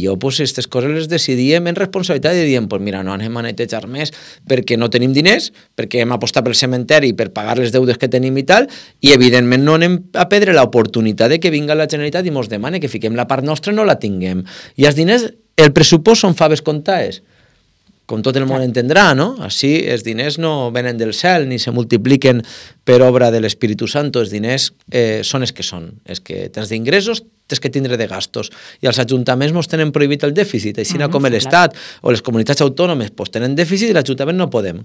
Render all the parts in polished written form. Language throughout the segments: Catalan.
jo, pues, aquestes coses les decidíem en responsabilitat i diem, pues mira, no anem a netejar més perquè no tenim diners, perquè hem apostat pel cementeri per pagar les deudes que tenim i tal, i evidentment no anem a perdre l'oportunitat de que vinga la Generalitat i mos demane que fiquem la part nostra i no la tinguem. I els diners, el pressupost són faves comptades, com tot el món entendrà, no? Així els diners no venen del cel ni se multipliquen per obra de l'Espíritu Santo, els diners són els que són. És que tens d'ingressos, tens que tindre de gastos. I els ajuntaments mos tenen prohibit el dèficit, així com l'Estat o les comunitats autònomes pues, tenen dèficit i l'Ajuntament no podem.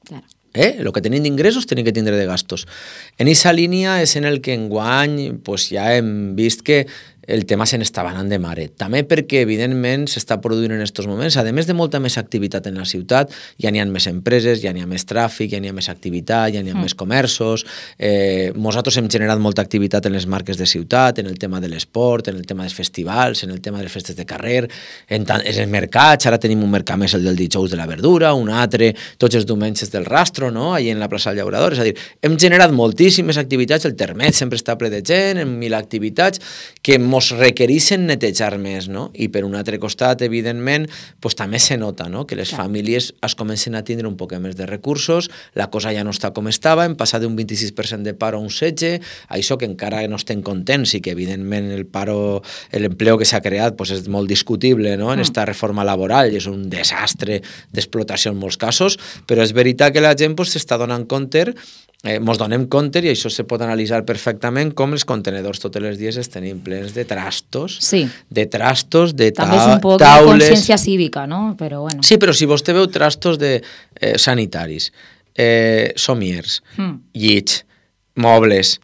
Claro. El que tenim d'ingressos tenim que tindre de gastos. En aquesta línia és en el que enguany pues, ja hem vist que el tema se n'està anant de mare. També perquè, evidentment, s'està produint en aquests moments, a més de molta més activitat en la ciutat, ja n'hi ha més empreses, ja n'hi ha més tràfic, ja n'hi ha més activitat, ja n'hi ha més comerços. Nosaltres hem generat molta activitat en les marques de ciutat, en el tema de l'esport, en el tema dels festivals, en el tema de les festes de carrer, en els mercats. Ara tenim un mercat més, el del dijous de la verdura, un altre, tots els diumenges del Rastro, no? Allà en la plaça del Llaurador. És a dir, hem generat moltíssimes activitats, el termet sempre està ple de gent, en 1000 activitats, que mos requereixen netejar més, no? I per un altre costat, evidentment, pues, també se nota, no? Que les famílies es comencen a tindre un poc més de recursos, la cosa ja no està com estava, hem passat d'un 26% de paro a un 16%, això que encara no estem contents i que evidentment l'empleo que s'ha creat pues, és molt discutible, no? En esta reforma laboral i és un desastre d'explotació en molts casos, però és veritat que la gent pues, s'està donant compte, mos donem compte, i això se pot analitzar perfectament, com els contenedors tots els dies es tenim plens de trastos, de trastos, de també és un poc taules... de consciència cívica, no? Però bueno. Sí, però si vostè veu trastos de sanitaris, somiers, llits, mobles,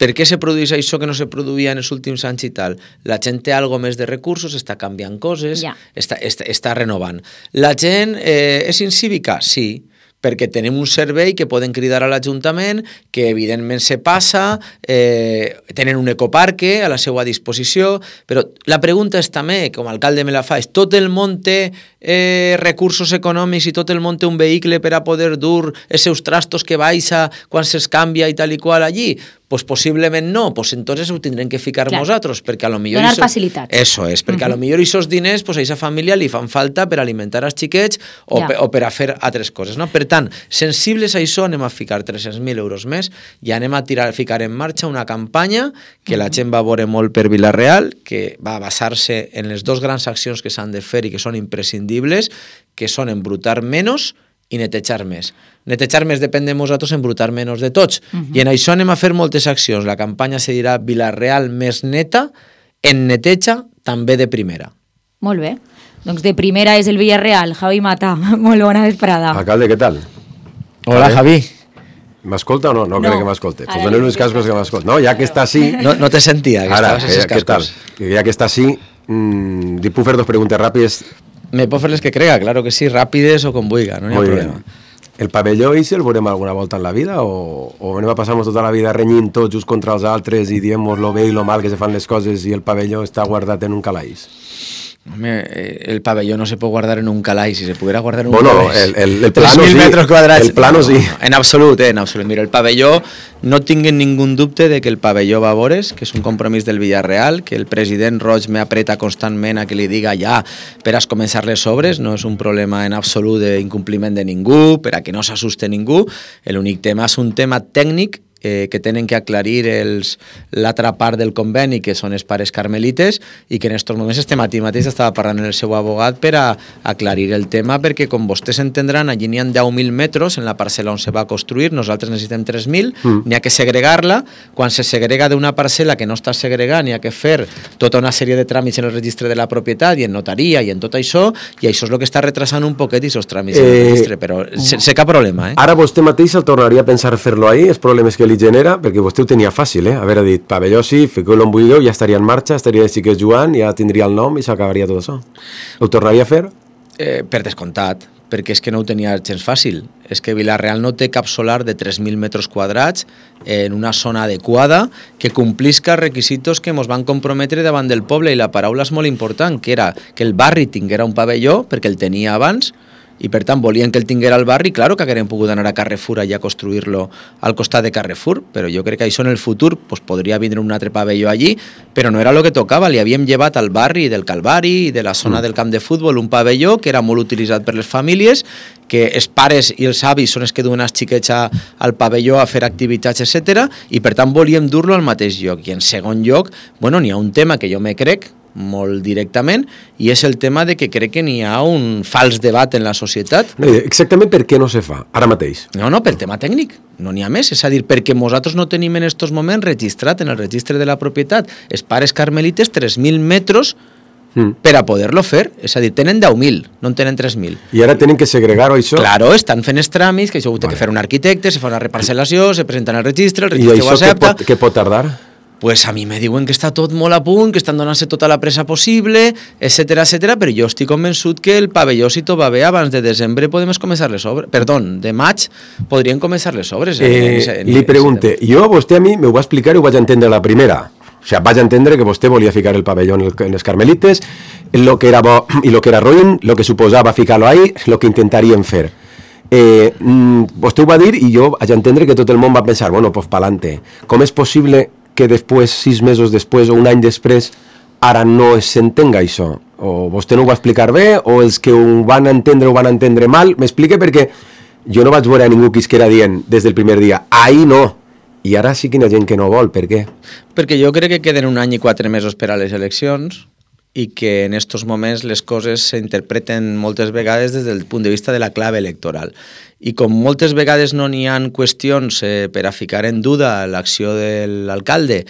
per què se produeix això que no se produïa en els últims anys i tal? La gent té algo més de recursos, està canviant coses, està renovant. La gent és incívica? Sí, perquè tenim un servei que poden cridar a l'Ajuntament, que evidentment se passa, tenen un ecoparque a la seva disposició, però la pregunta és també, com a alcalde me la fa, és tot el món té recursos econòmics i tot el món té un vehicle per a poder dur els seus trastos que baixa quan se'ls canvia i tal i qual allí? Pues possiblement no, pues entonces ho tindrem que ficar nosaltres, perquè a lo millor... Donar facilitats. Eso és, perquè a lo millor aquests diners pues a aquesta família li fan falta per alimentar els xiquets o per a fer altres coses, no? Per tant, sensibles a això anem a ficar 300.000 euros més i anem a ficar en marxa una campanya que la gent va veure molt per Vila-real, que va basar-se en les dues grans accions que s'han de fer i que són imprescindibles, que són embrutar menys i netejar més. Netejar més depèn de nosaltres, embrutar menys de tots. I en això anem a fer moltes accions. La campanya se dirà Vila-real més neta, en neteja també de primera. Molt bé. Doncs de primera és el Villarreal. Javi Mata, molt bona vesprada. Alcalde, què tal? Hola, Javi. ¿M'escolta o no? No crec que m'escolte. Pues donem uns cascos que m'escolta. No, ja que està així... No te sentia, que ara, estaves en els cascos. Ja que està així, li puc fer dos preguntes ràpides. Me pot fer les que crega, claro que sí, ràpides o com vulga, no hi ha problema. El pavelló el veurem alguna volta en la vida o anem a passar-nos tota la vida renyint tots uns contra els altres i diem-nos lo bé i lo mal que se fan les coses i el pavelló està guardat en un calaix? Home, el pabelló no se pot guardar en un calaix, si se poguera guardar en un calaix. El plano 3.000 sí. metres quadrats. El plano sí. En absolut, en absolut. Mira, el pabelló, no tinguin ningú dubte de que el pabelló va a veure's, que és un compromís del Villarreal, que el president Roig me apreta constantment a que li diga ja per a començar les obres, no és un problema en absolut d'incompliment de ningú, per a que no s'assuste ningú. L'únic tema és un tema tècnic que tenen que aclarir l'altra part del conveni, que són els pares carmelites, i que en aquests moments este matí mateix estava parlant amb el seu abogat per a aclarir el tema, perquè com vostès entendran, allí n'hi ha 10.000 metres en la parcel·la on se va construir, nosaltres necessitem 3.000, n'hi ha que segregar-la, quan se segrega d'una parcel·la que no està segregada, n'hi ha que fer tota una sèrie de tràmits en el registre de la propietat i en notaria i en tot això, i això és el que està retrasant un poquet aquests tràmits en el registre, però sense cap problema. Ara vostè mateix el tornaria a pensar fer-lo ahí, els problemes que li genera, perquè vostè ho tenia fàcil, haver dit pavelló sí, fiqueu-lo en buidor, ja estaria en marxa, estaria de xiquets jugant, ja tindria el nom i s'acabaria tot això. Ho tornaria a fer? Per descomptat, perquè és que no ho tenia gens fàcil. És que Vila-real no té cap solar de 3.000 metres quadrats en una zona adequada que complisca els requisitos que ens van comprometre davant del poble, i la paraula és molt important, que era que el barri tinguera un pavelló, perquè el tenia abans, i per tant volien que el tinguera al barri, claro que hagueren pogut anar a Carrefour allà a construir-lo al costat de Carrefour, però jo crec que això en el futur pues, podria vindre un altre pavelló allí, però no era el que tocava, li havíem llevat al barri del Calvari i de la zona del camp de futbol un pavelló que era molt utilitzat per les famílies, que els pares i els avis són els que duen els xiquets al pavelló a fer activitats, etc. I per tant volíem dur-lo al mateix lloc. I en segon lloc, bueno, n'hi ha un tema que jo me crec molt directament, i és el tema de que crec que n'hi ha un fals debat en la societat. No, exactament per què no se fa, ara mateix? No, pel tema tècnic, no n'hi ha més, és a dir, perquè nosaltres no tenim en estos moments registrat en el registre de la propietat els pares carmelites 3.000 metres per a poder-lo fer, és a dir, tenen 10.000, no en tenen 3.000. I ara tenen que segregar-ho, això? Claro, estan fent els tràmits, que això ho té que fer un arquitecte, se fa una reparcel·lació, se presenten al registre, el registre ho accepta. I això què pot tardar? Pues a mi me diuen que està tot molt a punt, que estan donant-se tota la pressa possible, etcètera, però jo estic convençut que el pavelló, si tot va bé, abans de desembre podem començar les obres. Perdó, de maig podrien començar les obres. Li pregunte, jo, vostè a mi me ho va explicar i ho vaig entendre la primera. O sigui, vaig entendre que vostè volia ficar el pavelló en les Carmelites, lo que era bo i lo que era ruïn, lo que suposava ficar-lo ahí, lo que intentaríem fer. Vostè ho va dir i jo vaig entendre que tot el món va pensar, bueno, pues pa'lante. Com és possible que després, 6 mesos després o un any després, ara no s'entenga això? O vostè no ho va explicar bé, o els que ho van entendre mal? M'explique, perquè jo no vaig veure a ningú que isquera dient des del primer dia, ahí no. I ara sí que hi ha gent que no vol, per què? Perquè jo crec que queden 1 any i 4 mesos per a les eleccions i que en estos moments les coses s'interpreten moltes vegades des del punt de vista de la clave electoral. I com moltes vegades no n'hi ha qüestions per a ficar en duda l'acció de l'alcalde,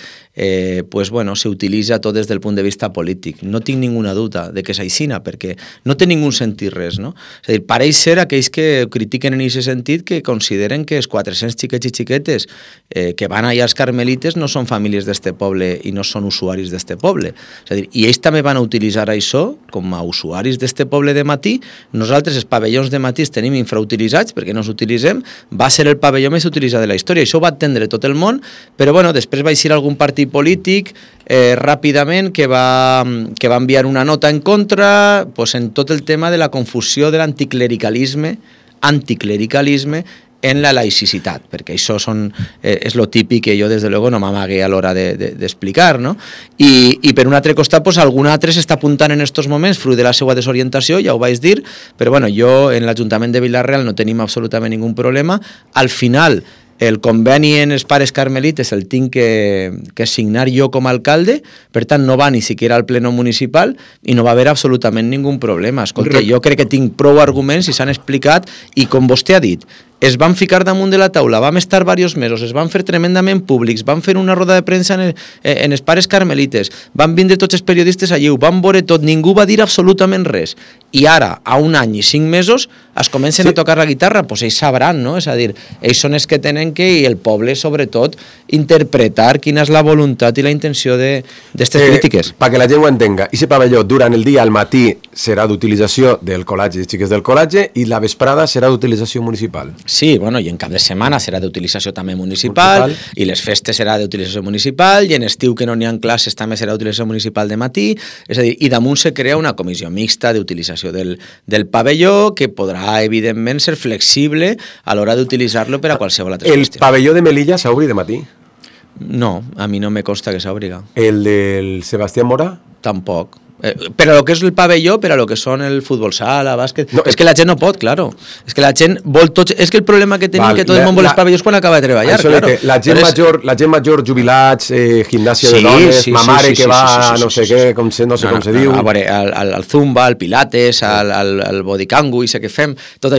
pues bueno, s'utilitza tot des del punt de vista polític. No tinc ninguna dubte de que és aixina, perquè no té ningú sentit res, no? És a dir, pareix ser aquells que critiquen en aquest sentit que consideren que els 400 xiquets i xiquetes que van allà als Carmelites no són famílies d'este poble i no són usuaris d'este poble. És a dir, i ells també van a utilitzar això com a usuaris d'este poble de matí. Nosaltres els pavellons de matí els tenim infrautilitzats perquè no s'utilitzem, va ser el pavelló més utilitzat de la història, això ho va entendre tot el món, però bueno, després va eixir algun partit polític ràpidament que va enviar una nota en contra pues, en tot el tema de la confusió de l'anticlericalisme en la laïcitat, perquè això és lo típic que jo des de luego no m'amague a l'hora d'explicar, no? I per un altre costat, pues, algun altre s'està apuntant en estos moments, fruit de la seva desorientació, ja ho vaig dir, però bueno, jo en l'Ajuntament de Vila-real no tenim absolutament ningú problema. Al final, el conveni en els pares carmelites el tinc que signar jo com a alcalde, per tant no va ni siquiera al pleno municipal i no va haver absolutament ningú problema. Escolta, jo crec que tinc prou arguments i s'han explicat i com vostè ha dit, es van ficar damunt de la taula, vam estar diversos mesos, es van fer tremendament públics, van fer una roda de premsa en els pares carmelites, van vindre tots els periodistes allí, ho van veure tot, ningú va dir absolutament res. I ara, a 1 any i 5 mesos, es comencen a tocar la guitarra, doncs ells sabran, no? És a dir, ells són els que tenen que, i el poble sobretot, interpretar quina és la voluntat i la intenció d'aquestes crítiques. Perquè la gent ho entenga, aquest pavelló durant el dia al matí serà d'utilització del col·legi, de xiques del col·legi, i la vesprada serà d'utilització municipal. Sí, bueno, i en cap de setmana serà d'utilització també municipal, i les festes serà d'utilització municipal, i en estiu que no n'hi ha classes també serà d'utilització municipal de matí, és a dir, i damunt se crea una comissió mixta d'utilització del pavelló que podrà, evidentment, ser flexible a l'hora d'utilitzar-lo per a qualsevol altra qüestió. El pavelló de Melilla s'obri de matí? No, a mi no me consta que s'obriga. El del Sebastián Mora? Tampoc. Per a lo que és el pavelló, per a lo que són el futbol sala, bàsquet... No, és que la gent no pot, claro. És que la gent vol tots... És que el problema que tenim que tot el món vol els pavellons quan acaba de treballar, claro. La gent major, jubilats, gimnàsia de dones, mamare que va no sé què, no sé com se diu... A veure, al zumba, al pilates, al bodycangu i sé què fem, tot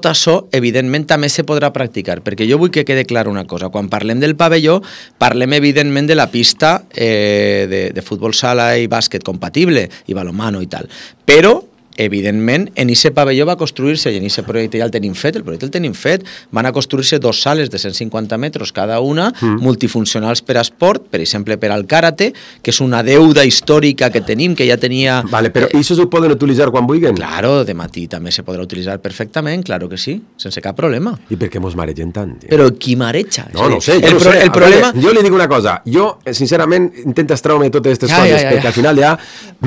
això, evidentment, també se podrà practicar, perquè jo vull que quede clar una cosa. Quan parlem del pavelló, parlem, evidentment, de la pista de futbol sala i bàsquet compatible, i balonmano i tal, però evidentment, en aquest pavelló va construir-se, i en aquest projecte ja el tenim fet, van a construir-se 2 sales de 150 metres cada una, multifuncionals per a esport, per exemple, per al karate, que és una deuda històrica que tenim, que ja tenia... Vale, però això s'ho poden utilitzar quan vulguin? Claro, de matí també se podrà utilitzar perfectament, claro que sí, sense cap problema. I per què mos maregen tant? Però qui mareja? No sé, jo no sé. El problema... Jo li dic una cosa, jo, sincerament, intento extraure totes aquestes coses, perquè al final ja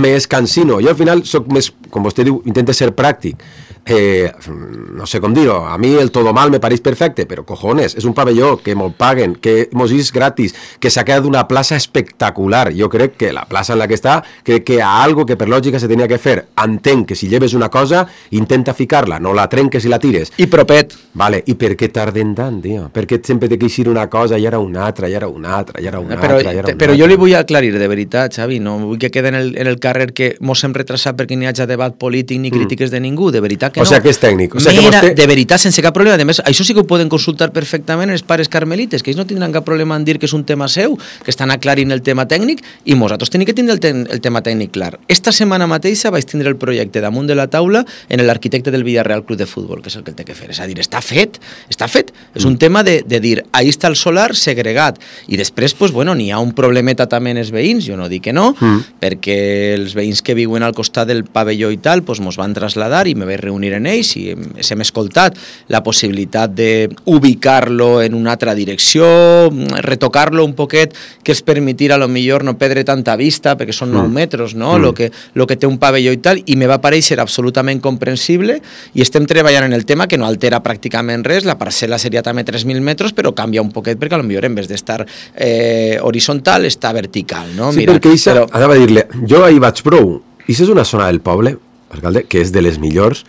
m'escansino. Jo al final soc més com vostè diu, intenta ser pràctic. No sé com dir-ho, a mi el todo mal me pareix perfecte, però cojones, és un pavelló que mos paguen, que mos és gratis, que s'ha quedat una plaça espectacular. Jo crec que la plaça en la que està, crec que hi ha algo que per lògica se tenia que fer. Entenc que si lleves una cosa, intenta ficar-la, no la trenques i la tires. I propet. Vale, i per què tarden tant, tio? Per què sempre té que eixir una cosa i ara una altra, i ara una altra, i ara una altra, i ara una altra? Però jo li vull aclarir, de veritat, Xavi, no vull que quede en el carrer que mos hem retrasat perquè n'hi hagi debat polític ni crítiques de ningú, de veritat que no. O sigui que és tècnic. O sigui que vostè... De veritat, sense cap problema. A més, això sí que ho poden consultar perfectament els pares carmelites, que ells no tindran cap problema en dir que és un tema seu, que estan aclarint el tema tècnic, i nosaltres tenim que tindre el tema tècnic clar. Esta setmana mateixa vaig tindre el projecte damunt de la taula en l'arquitecte del Villarreal Club de Futbol, que és el que té que fer. És a dir, està fet. És un tema de dir, ahí està el solar segregat. I després, pues, bueno, n'hi ha un problemeta també en els veïns, jo no dic que no, perquè els veïns que viuen al costat del pavelló i tal, pues, mos van traslladar i me vaig reunir en ells i hem escoltat la possibilitat d'ubicar-lo en una altra direcció, retocar-lo un poquet, que es permetir a lo millor no perdre tanta vista, perquè són 9 metres, no? Lo que té un pavelló i tal, i me va parèixer absolutament comprensible, i estem treballant en el tema que no altera pràcticament res, la parcel·la seria també 3.000 metres, però canvia un poquet, perquè a lo millor en vez d'estar horitzontal, està vertical, no? Sí, mira, perquè anava a dir-li, jo ahir vaig prou, i és una zona del poble, alcalde, que és de les millors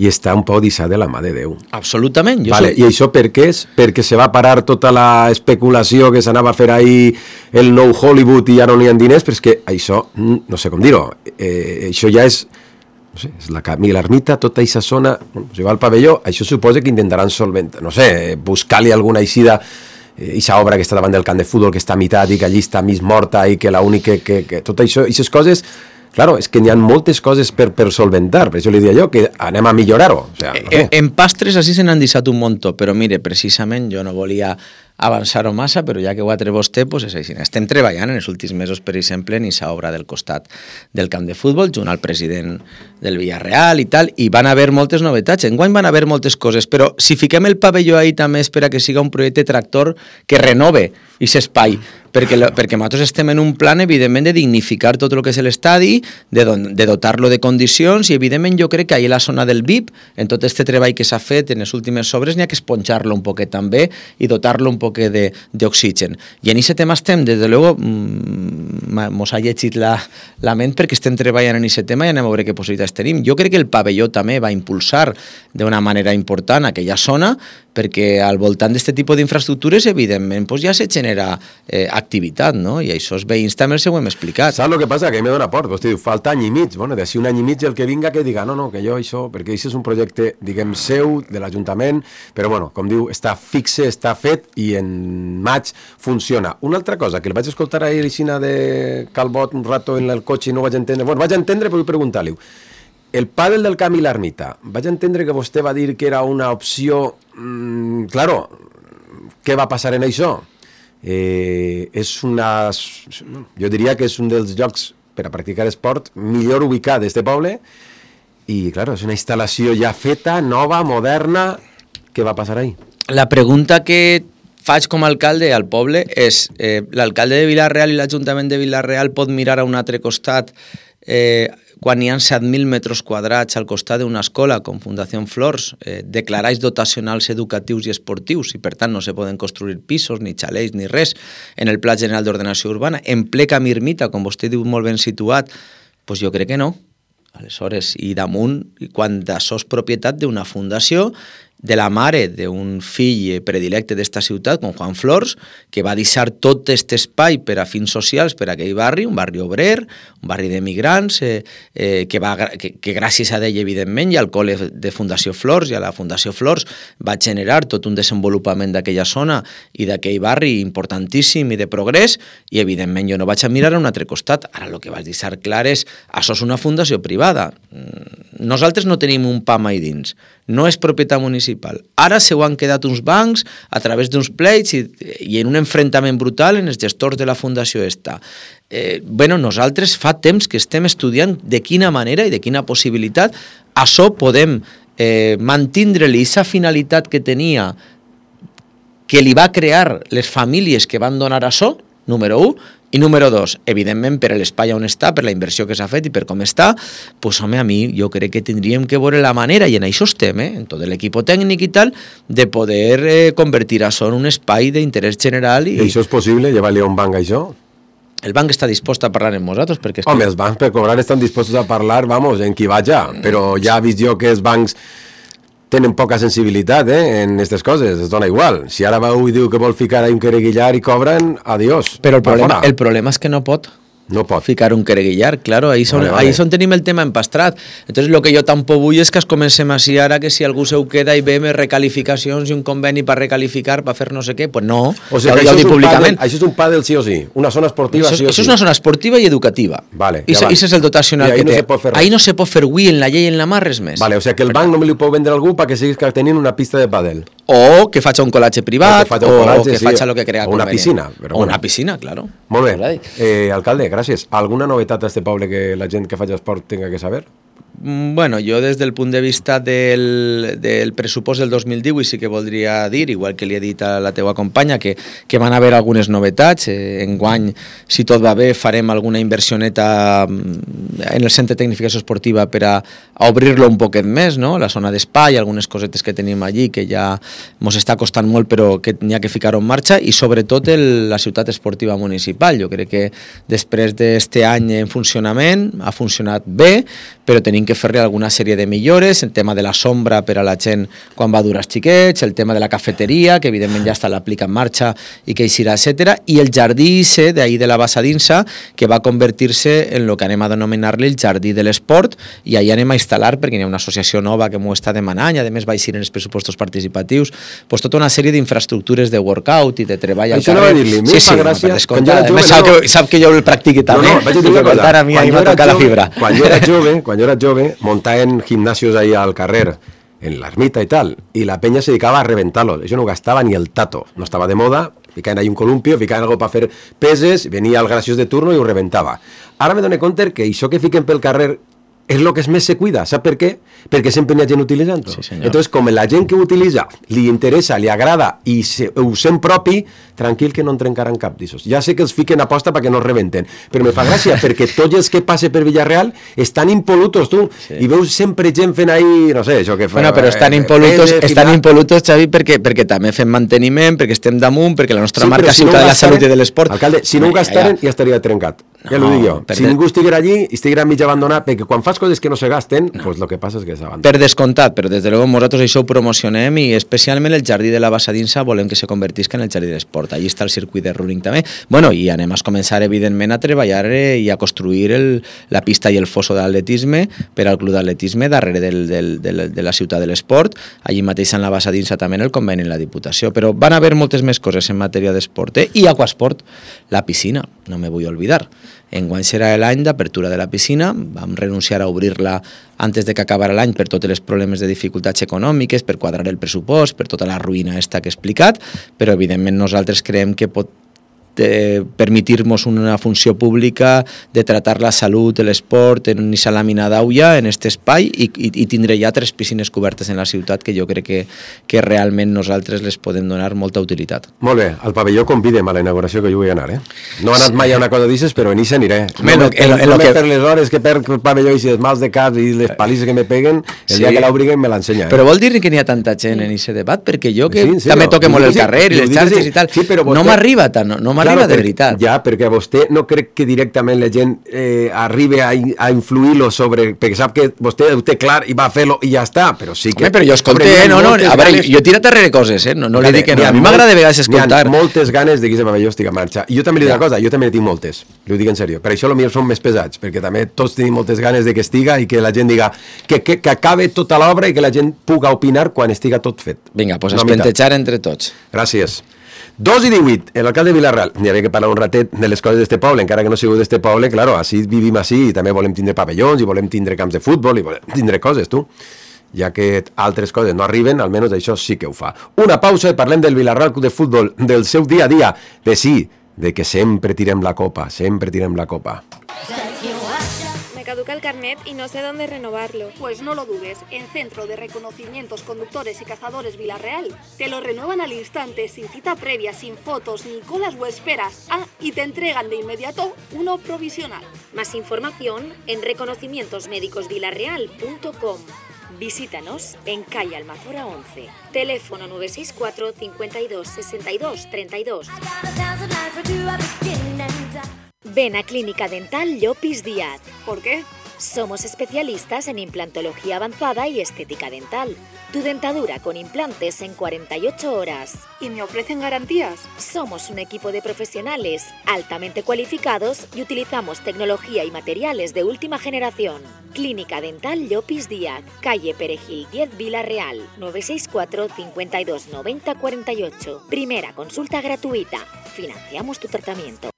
i està un poc dissat de la mà de Déu. Absolutament. Vale, i això per què és? Perquè se va parar tota la especulació que s'anava a fer ahir el nou Hollywood i ja no n'hi ha diners, però és que això, no sé com dir-ho, això ja és, no sé, és la Camila Ermita, tota aquesta zona, si va al pavelló, això suposa que intentaran solventar, no sé, buscar-li alguna eixida, aquesta obra que està davant del camp de futbol, que està a meitat i que allí està mig morta i que l'única que tot això, aquestes coses... Claro, és que n'hi ha moltes coses per solventar, per això li deia jo, que anem a millorar-ho. O sea, no sé. En pastres així se n'han deixat un muntó, però mire, precisament jo no volia avançar-ho massa, però ja que ho ha tret vostè, pues és així. Estem treballant en els últims mesos, per exemple, en aquesta obra del costat del camp de futbol, junt al president del Villarreal i tal, i van haver moltes novetats. Enguany van haver moltes coses, però si fiquem el pavelló ahí també és per a que siga un projecte tractor que renove aquest espai, perquè nosaltres estem en un plan, evidentment, de dignificar tot el que és l'estadi, de dotar-lo de condicions, i evidentment jo crec que ahí la zona del VIP, en tot aquest treball que s'ha fet en les últimes obres, n'hi ha que esponjar-lo un poquet també i dotar-lo un poquet d'oxigen. I en aquest tema estem, des de luego, mos ha llegit la ment perquè estem treballant en aquest tema i anem a veure què possibilitats tenim. Jo crec que el pavelló també va impulsar d'una manera important aquella zona, perquè al voltant d'aquest tipus d'infraestructures, evidentment, pues ja se genera activitat, no? I això els veïns també els ho hem explicat. Saps el que passa? Que me dona por. Vostè diu, falta any i mig. Bueno, d'ací un any i mig el que vinga que diga, no, que jo això, perquè això és un projecte, diguem, seu, de l'Ajuntament, però bueno, com diu, està fixe, està fet i en maig funciona. Una altra cosa, que el vaig escoltar ahir a de Calbot un rato en el cotxe i no vaig entendre. Bueno, vaig entendre, però vull preguntar-li. El pàdel del Camp i l'Ermita, vaig entendre que vostè va dir que era una opció... claro, què va passar en això? És una... Jo diria que és un dels llocs per a practicar esport millor ubicat d'este poble i, claro, és una instal·lació ja feta, nova, moderna. Què va passar ahí? La pregunta que faig com a alcalde al poble és l'alcalde de Vila-real i l'Ajuntament de Vila-real pot mirar a un altre costat quan hi ha 7.000 metres quadrats al costat d'una escola com Fundació Flors, declarats dotacionals educatius i esportius, i per tant no se poden construir pisos, ni xalets, ni res, en el Pla General d'Ordenació Urbana, en ple Camp Ermita, com vostè diu molt ben situat, doncs jo crec que no. Aleshores, i damunt, quan això és propietat d'una fundació, de la mare d'un fill predilecte d'esta ciutat, com Juan Flors, que va deixar tot aquest espai per a fins socials per a aquell barri, un barri obrer, un barri d'emigrants, que gràcies a ell, evidentment, i al col·le de Fundació Flors i a la Fundació Flors va generar tot un desenvolupament d'aquella zona i d'aquell barri importantíssim i de progrés, i evidentment jo no vaig a mirar a un altre costat. Ara el que vaig deixar clar és, això és una fundació privada. Nosaltres no tenim un PAM ahí dins, no és propietat municipal. Ara se ho han quedat uns bancs a través d'uns pleits i en un enfrontament brutal en els gestors de la fundació esta. Nosaltres fa temps que estem estudiant de quina manera i de quina possibilitat això podem mantindre-li aquesta finalitat que tenia, que li va crear les famílies que van donar això, número 1, I número 2, evidentment, per l'espai on està, per la inversió que s'ha fet i per com està, pues, home, a mi jo crec que tindríem que veure la manera, i en això estem, en tot l'equip tècnic i tal, de poder convertir això en un espai d'interès general. I això és possible? Llevar-li un banc a això? El banc està dispost a parlar amb nosaltres, perquè... Home, els bancs per cobrar estan dispostos a parlar, vamos, en qui vaja, però ja he vist jo que els bancs tenen poca sensibilitat en aquestes coses, es dona igual. Si ara veu i diu que vol ficar un quereguillar i cobren, adiós. Però el problema és que no pot. No pot ficar un quereguillar, claro, ahí son tenim el tema empastrat. Entonces lo que jo tampoc vull és que es comencem així ara, que si algú se ho queda i ve més recalificacions i un conveni per recalificar, per fer no sé què, pues no, o sigui, ja ho dic públicament. Això és un pàdel sí o sí, una zona esportiva sí o sí. Això és una zona esportiva i educativa. Vale, I això és el dotacional que té. Ahí no se pot fer avui en la llei i en la mar res més. Vale, o sigui que el banc no me li pot vendre a algú perquè siguis tenint una pista de pàdel. O que faci un col·latge privat, o que faci el que crea convenient. Una piscina. O una piscina, claro. Molt bé. Alcalde, gràcies. Alguna novetat a este poble que la gent que faci esport tenga que saber? Bueno, jo des del punt de vista del pressupost del 2010 sí que voldria dir, igual que li he dit a la teua companya, que van haver algunes novetats. Enguany, si tot va bé, farem alguna inversioneta en el centre de tecnificació esportiva per a obrir-lo un poquet més, no? La zona d'espai, algunes cosetes que tenim allí que ja ens està costant molt però que n'hi ha que ficar-ho en marxa, i sobretot la ciutat esportiva municipal. Jo crec que després d'este any en funcionament ha funcionat bé, però tenim que fer-li alguna sèrie de millores, el tema de la sombra per a la gent quan va dur els xiquets, el tema de la cafeteria, que evidentment ja està l'aplica en marxa i que eixirà, etc. I el jardí d'ahir de la Bassadinsa, que va convertir-se en el que anem a denominar-li el jardí de l'esport, i allà anem a instal·lar, perquè hi ha una associació nova que m'ho està demanant, i a més va eixir en els pressupostos participatius, pues tota una sèrie d'infraestructures de workout i de treball al carrer. Això no va dir-li, m'hi fa gràcia. Sap que jo el practiqui també. No, vaig dir una cosa. A mi m'ha tocat la fibra. Quan jo era jove, montaven gimnasios ahí al carrer, en la ermita y tal, y la peña se dedicaba a reventarlos. Eso no gastaba ni el tato, no estaba de moda, ficaven ahí un columpio, ficaven algo para fer peses, venia el graciós de turno i ho reventava. Ara me dono compte que això que fiquen pel carrer és el que més se cuida. Sap per què? Perquè sempre hi ha gent utilitzant-ho. Sí, entonces, com la gent que ho utilitza li interessa, li agrada i ho sent propi, tranquil que no en trencaran cap d'issos. Ja sé que els fiquen a posta perquè no es rebenten, però me fa gràcia perquè tots els que passe per Villarreal estan impolutos, tu, i veus sempre gent fent ahí, no sé, això que fa... Bueno, però estan impolutos, Xavi, perquè també fem manteniment, perquè estem damunt, perquè la nostra marca Ciutat de la Salut i de l'Esport... Alcalde, si no ho gastaren, ja estaria trencat. Ja ho dic jo. Si ningú estiguera allí, estiguera mig abandonat, perquè quan fas coses que no se gasten, pues lo que passa és que s'abandona. Per descomptat, però des de luego nosaltres això ho promocionem, i especialment el jardí de la Bassadinsa volem que se convertisca en el jardí de l'esport. Allí està el circuit de running també. Bueno, i anem a començar evidentment a treballar i a construir la pista i el fosso d'atletisme per al club d'atletisme darrere de la ciutat de l'esport. Allí mateix en la Bassadinsa també en el conveni en la Diputació. Però van haver moltes més coses en matèria d'esport. I aquasport, la piscina, no me vull oblidar. Enguany serà l'any d'apertura de la piscina, vam renunciar a obrir-la antes de que acabara l'any per tots els problemes de dificultats econòmiques, per quadrar el pressupost, per tota la ruïna esta que he explicat, però evidentment nosaltres creiem que pot permitir-nos una funció pública de tratar la salut, l'esport en una làmina d'aulla en aquest espai i tindre ja 3 piscines cobertes en la ciutat que jo crec que realment nosaltres les podem donar molta utilitat. Molt bé, al pavelló convidem a la inauguració que jo vull anar, No he anat mai a una cosa d'aixes, però en això aniré. No per les hores que perc el pavelló i els mals de cap i les palisses que me peguen, el dia que l'obriguen me l'ensenya. Però vol dir que n'hi ha tanta gent en aquest debat? Perquè jo que també toque molt el carrer i les xarxes i tal, no m'arriba tant, no m'arriba de veritat. Ja, perquè vostè no crec que directament la gent arribi a influir-lo sobre... Perquè sap que vostè ho té clar i va fer-lo i ja està, però sí que... Però jo escolté, a veure, jo he tirat darrere coses, no li dic que no. A mi m'agrada de vegades escoltar. N'hi ha moltes ganes de que aquest pavelló estigui en marxa. I jo també li dic una cosa, jo també ne tinc moltes, li ho dic en sèrio. Per això potser són més pesats, perquè també tots tenim moltes ganes de que estiga i que la gent diga que acabe tota l'obra i que la gent puga opinar quan estiga tot fet. Vinga, doncs espentejar entre tots. Gràcies. 2:18, l'alcalde de Vilarreal. N'hi havia que parlar un ratet de les coses d'este poble, encara que no sigo d'este poble, claro, així vivim així i també volem tindre pavellons i volem tindre camps de futbol i volem tindre coses, tu. Ja que altres coses no arriben, almenys això sí que ho fa. Una pausa i parlem del Vilarreal Club de Futbol, del seu dia a dia, de que sempre tirem la copa, sempre tirem la copa. caduca el carnet y no sé dónde renovarlo. Pues no lo dudes, en Centro de Reconocimientos Conductores y Cazadores Villarreal te lo renuevan al instante, sin cita previa, sin fotos, ni colas o esperas. Y te entregan de inmediato uno provisional. Más información en reconocimientosmédicosvillarreal.com. Visítanos en calle Almazora 11. Teléfono 964 52 62 32. Ven a Clínica Dental Llopis Díaz. ¿Por qué? Somos especialistas en implantología avanzada y estética dental. Tu dentadura con implantes en 48 horas. ¿Y me ofrecen garantías? Somos un equipo de profesionales altamente cualificados y utilizamos tecnología y materiales de última generación. Clínica Dental Llopis Díaz, calle Perejil 10 Villarreal, 964 52 90 48. Primera consulta gratuita. Financiamos tu tratamiento.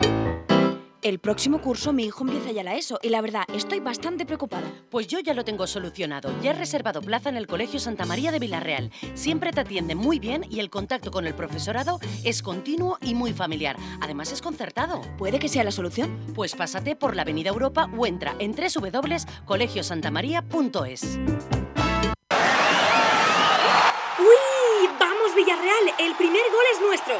El próximo curso mi hijo empieza ya la ESO y la verdad estoy bastante preocupada. Pues yo ya lo tengo solucionado. Ya he reservado plaza en el Colegio Santa María de Villarreal. Siempre te atienden muy bien y el contacto con el profesorado es continuo y muy familiar. Además es concertado. ¿Puede que sea la solución? Pues pásate por la Avenida Europa o entra en www.colegiosantamaria.es. ¡Uy! ¡Vamos, Villarreal! ¡El primer gol es nuestro!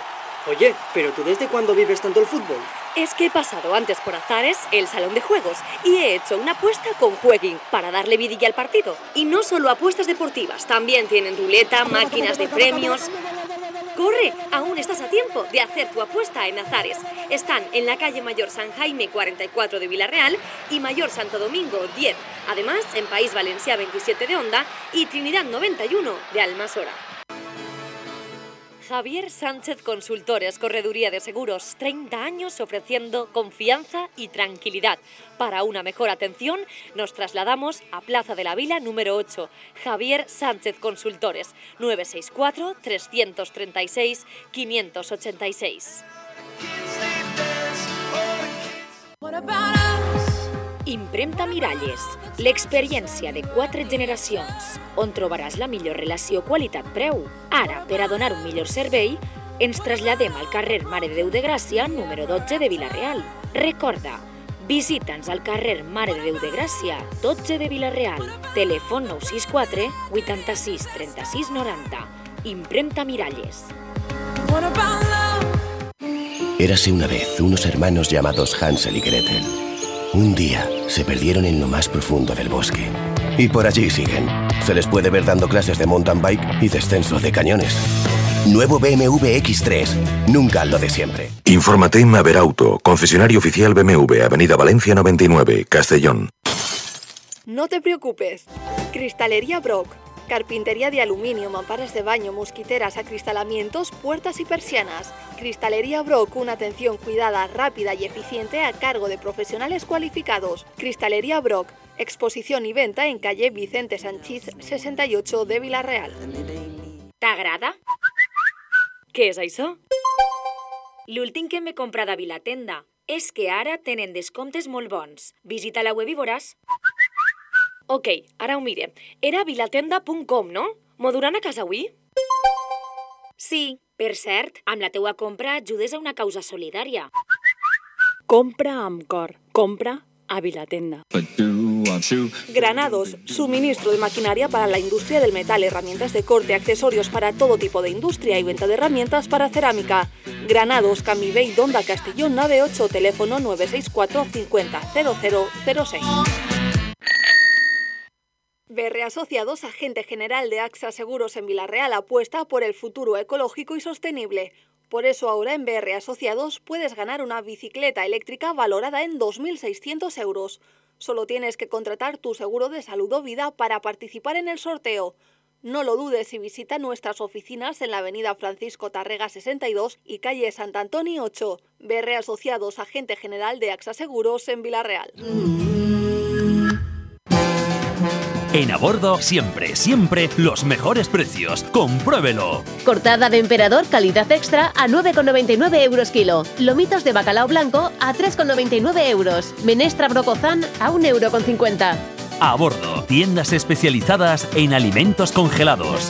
Oye, ¿pero tú desde cuándo vives tanto el fútbol? Es que he pasado antes por Azares, el salón de juegos, y he hecho una apuesta con Jueguin para darle vidilla al partido. Y no solo apuestas deportivas, también tienen ruleta, máquinas de premios. ¡Corre! Aún estás a tiempo de hacer tu apuesta en Azares. Están en la calle Mayor San Jaime 44 de Villarreal y Mayor Santo Domingo 10. Además, en País Valencià 27 de Onda y Trinidad 91 de Almasora. Javier Sánchez Consultores, Correduría de Seguros, 30 años ofreciendo confianza y tranquilidad. Para una mejor atención, nos trasladamos a Plaza de la Vila número 8. Javier Sánchez Consultores, 964 336 586. Impremta Miralles, l'experiència de 4 generacions, on trobaràs la millor relació qualitat-preu. Ara, per a donar un millor servei, ens traslladem al carrer Mare de Déu de Gràcia, número 12 de Vila-real. Recorda, visita'ns al carrer Mare de Déu de Gràcia, 12 de Vila-real. Telèfon 964 86 36 90. Impremta Miralles. Érase una vez unos hermanos llamados Hansel y Gretel. Un día se perdieron en lo más profundo del bosque. Y por allí siguen. Se les puede ver dando clases de mountain bike y descenso de cañones. Nuevo BMW X3. Nunca lo de siempre. Infórmate en Maverauto, concesionario oficial BMW, Avenida Valencia 99, Castellón. No te preocupes. Cristalería Brock. Carpintería de aluminio, mamparas de baño, mosquiteras, acristalamientos, puertas y persianas. Cristalería Brock, una atención cuidada, rápida y eficiente a cargo de profesionales cualificados. Cristalería Brock, exposición y venta en calle Vicente Sanchís 68 de Vila-real. T'agrada? Què és això? L'últim que m'he comprat a Vilatenda és que ara tenen descomptes molt bons. Visita la web i veuràs. Ok, ara ho mire. Era vilatenda.com, no? M'ho duran a casa avui? Sí, per cert, amb la teua compra ajudes a una causa solidària. Compra amb cor. Compra a Vilatenda. Granados, suministro de maquinaria para la industria del metal, herramientas de corte, accesorios para todo tipo de industria y venta de herramientas para cerámica. Granados, Camivey, Donda, Castellón, nave 8, teléfono 964 50 0006. BR Asociados, agente general de AXA Seguros en Vila-real, apuesta por el futuro ecológico y sostenible. Por eso ahora en BR Asociados puedes ganar una bicicleta eléctrica valorada en 2.600 euros. Solo tienes que contratar tu seguro de salud o vida para participar en el sorteo. No lo dudes y visita nuestras oficinas en la avenida Francisco Tarrega 62 y calle Sant Antoni 8. BR Asociados, agente general de AXA Seguros en Vila-real. En Abordo, siempre, siempre, los mejores precios. ¡Compruébelo! Cortada de emperador, calidad extra, a 9,99 euros kilo. Lomitos de bacalao blanco, a 3,99 euros. Menestra brocozán, a 1,50 €. Abordo, tiendas especializadas en alimentos congelados.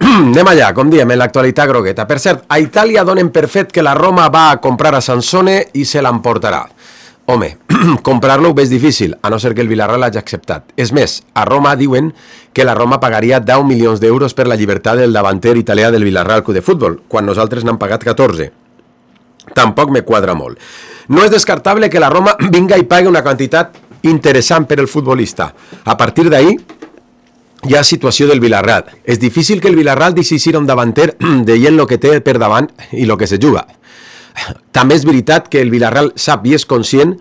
Anem allà, com diem, en l'actualitat grogueta. Per cert, a Itàlia donen per fet que la Roma va a comprar a Sansone i se l'emportarà. Home, comprar-lo ho veig difícil, a no ser que el Villarreal hagi acceptat. És més, a Roma diuen que la Roma pagaria 10 milions d'euros per la llibertat del davanter italià del Villarreal Club de Futbol, quan nosaltres n'han pagat 14. Tampoc me quadra molt. No és descartable que la Roma vinga i pagui una quantitat interessant per el futbolista. A partir d'ahí, hi ha situació del Villarreal. És difícil que el Villarreal deixi un davanter deient el que té per davant i el que se juga. També és veritat que el Villarreal sap i és conscient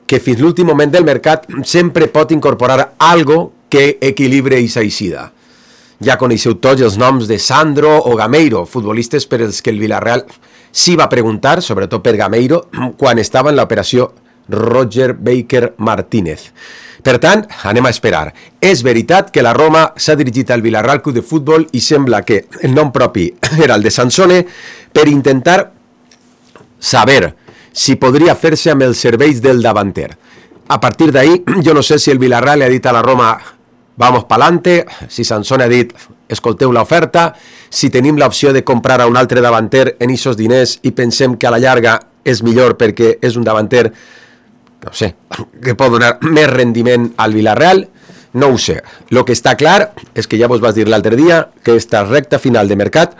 que fins l'últim moment del mercat sempre pot incorporar algo que equilibre i s'aixida. Ja coneixeu tots els noms de Sandro o Gameiro, futbolistes per els que el Villarreal sí va preguntar, sobretot per Gameiro, quan estava en l'operació Roger Baker Martínez. Per tant, anem a esperar. És veritat que la Roma s'ha dirigit al Villarreal Club de Futbol i sembla que el nom propi era el de Sansone per intentar saber si podria fer-se amb els serveis del davanter. A partir d'ahí, jo no sé si el Villarreal li ha dit a la Roma vamos pa'lante, si Sansone ha dit escolteu l'oferta, si tenim l'opció de comprar a un altre davanter en aquests diners i pensem que a la llarga és millor perquè és un davanter, no sé, que pot donar més rendiment al Villarreal, no ho sé. El que està clar és que ja vos vas dir l'altre dia que esta recta final de mercat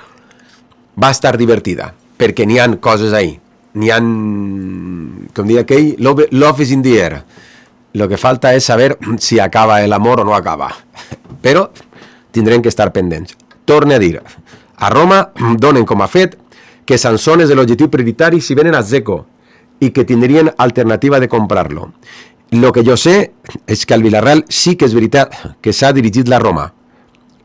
va estar divertida, perquè n'hi han coses ahí. N'hi ha, com diria aquell, love is in the air. Lo que falta és saber si acaba l'amor o no acaba. Però tindrem que estar pendents. Torne a dir, a Roma donen com a fet que Sansone és l'objectiu prioritari si venen a Dzeko i que tindrien alternativa de comprar-lo. Lo que jo sé és que al Villarreal sí que és veritat que s'ha dirigit la Roma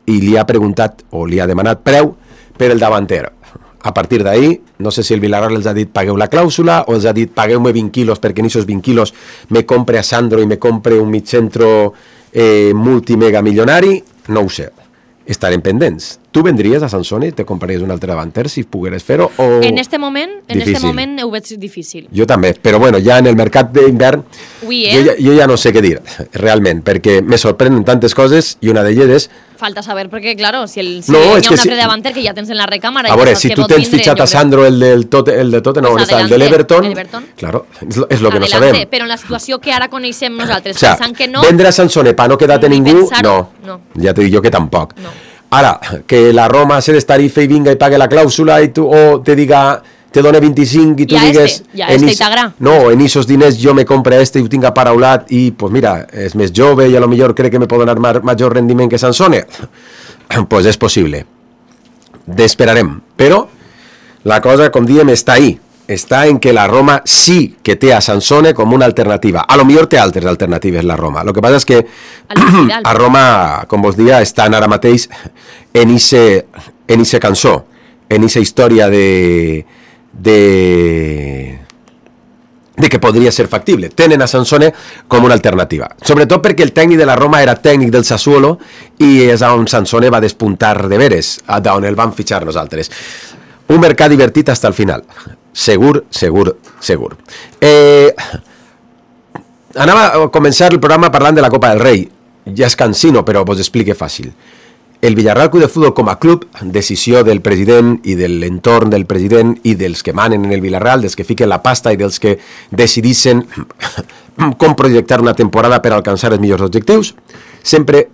i li ha preguntat o li ha demanat preu per el davanter. A partir d'ahí, no sé si el Villarreal els ha dit pagueu la clàusula o els ha dit pagueu-me 20 quilos perquè en aquests 20 quilos me compre a Sandro i me compre un mitjentro multimega milionari, no ho sé. Estarem pendents. Tu vendries a Sansone i te compraries un altre davanter si pogueres fer-ho o... En este moment ho veig difícil. Jo també, però bueno, ja en el mercat d'hivern jo ja no sé què dir, realment, perquè me sorprenen tantes coses i una d'elles és... Falta saber, perquè, claro, si hi ha un altre davanter que ja tens en la recàmera... A veure, si tu tens fitxat a Sandro, el de l'Everton, claro, és lo que no sabem. Però en la situació que ara coneixem nosaltres, pensant que no... Vendre a Sansone pa no quedar-te ningú, no. Ja t'ho dic jo que tampoc. Ara, que la Roma se destarife i vinga i pague la clàusula i tu, o te diga... te dona 25 i tu digues... No, en esos diners jo me compre i ho tinc aparaulat i, pues mira, és més jove i a lo millor crec que me pot donar major rendiment que Sansone. Pues és possible. Esperarem. Però la cosa, com diem, està ahí. Està en que la Roma sí que té a Sansone com una alternativa. A lo millor té altres alternatives la Roma. Lo que passa és que a Roma, com vos dia, estan ara mateix en ese cançó, en esa història de que podria ser factible. Tenen a Sansone com una alternativa. Sobretot perquè el tècnic de la Roma era tècnic del Sassuolo i és on Sansone va despuntar de veres, d'on el van fitxar nosaltres. Un mercat divertit fins al final. Segur. Anava a començar el programa parlant de la Copa del Rei. Ja és cansino, però vos explique fàcil. El Villarreal Club de Futbol com a club, decisió del president i de l'entorn del president i dels que manen en el Villarreal, dels que fiquen la pasta i dels que decidissin com projectar una temporada per alcançar els millors objectius, sempre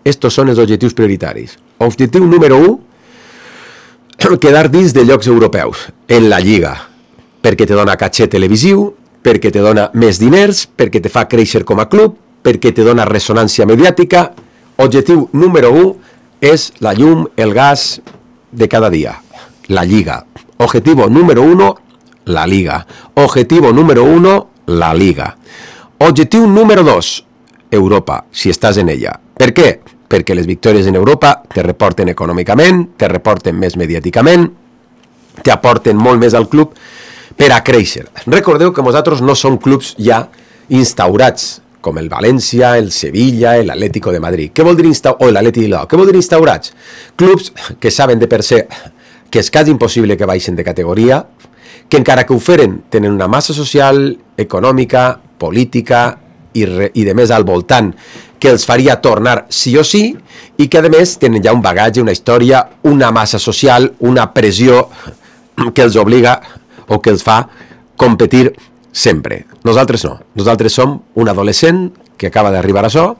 estos són els objectius prioritaris. Objectiu número 1, quedar dins de llocs europeus, en la Lliga, perquè te dona caché televisiu, perquè te dona més diners, perquè te fa créixer com a club, perquè te dona ressonància mediàtica. Objectiu número 1 és la llum, el gas de cada dia, la Lliga. Objetivo número 1, la Liga. Objetivo número 1, la Liga. Objectiu número 2, Europa, si estàs en ella. Per què? Perquè les victòries en Europa te reporten econòmicament, te reporten més mediàticament, te aporten molt més al club per a créixer. Recordeu que nosaltres no som clubs ja instaurats, com el València, el Sevilla, l'Atlético de Madrid. Què vol dir o l'Atleti de Bilbao? Què vol dir instaurats? Clubs que saben de per se que és quasi impossible que baixen de categoria, que encara que ho feren tenen una massa social, econòmica, política i de més al voltant que els faria tornar sí o sí i que a més tenen ja un bagatge, una història, una massa social, una pressió que els obliga o que els fa competir sempre. Nosaltres no. Nosaltres som un adolescent que acaba d'arribar a això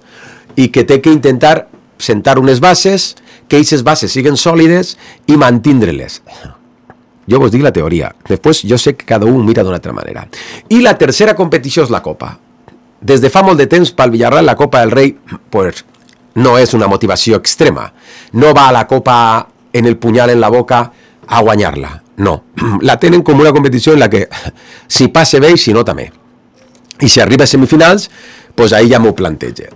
i que té que intentar sentar unes bases, que aquestes bases siguin sòlides i mantindre-les. Jo vos dic la teoria. Després jo sé que cada un mira d'una altra manera. I la tercera competició és la Copa. Des de fa molt de temps pel Villarreal la Copa del Rei pues, no és una motivació extrema. No va a la Copa en el punyal en la boca a guanyar-la. No. La tenen com una competició en la que si passa bé i si no també. I si arriba a semifinals, pues ahí ja m'ho planteja.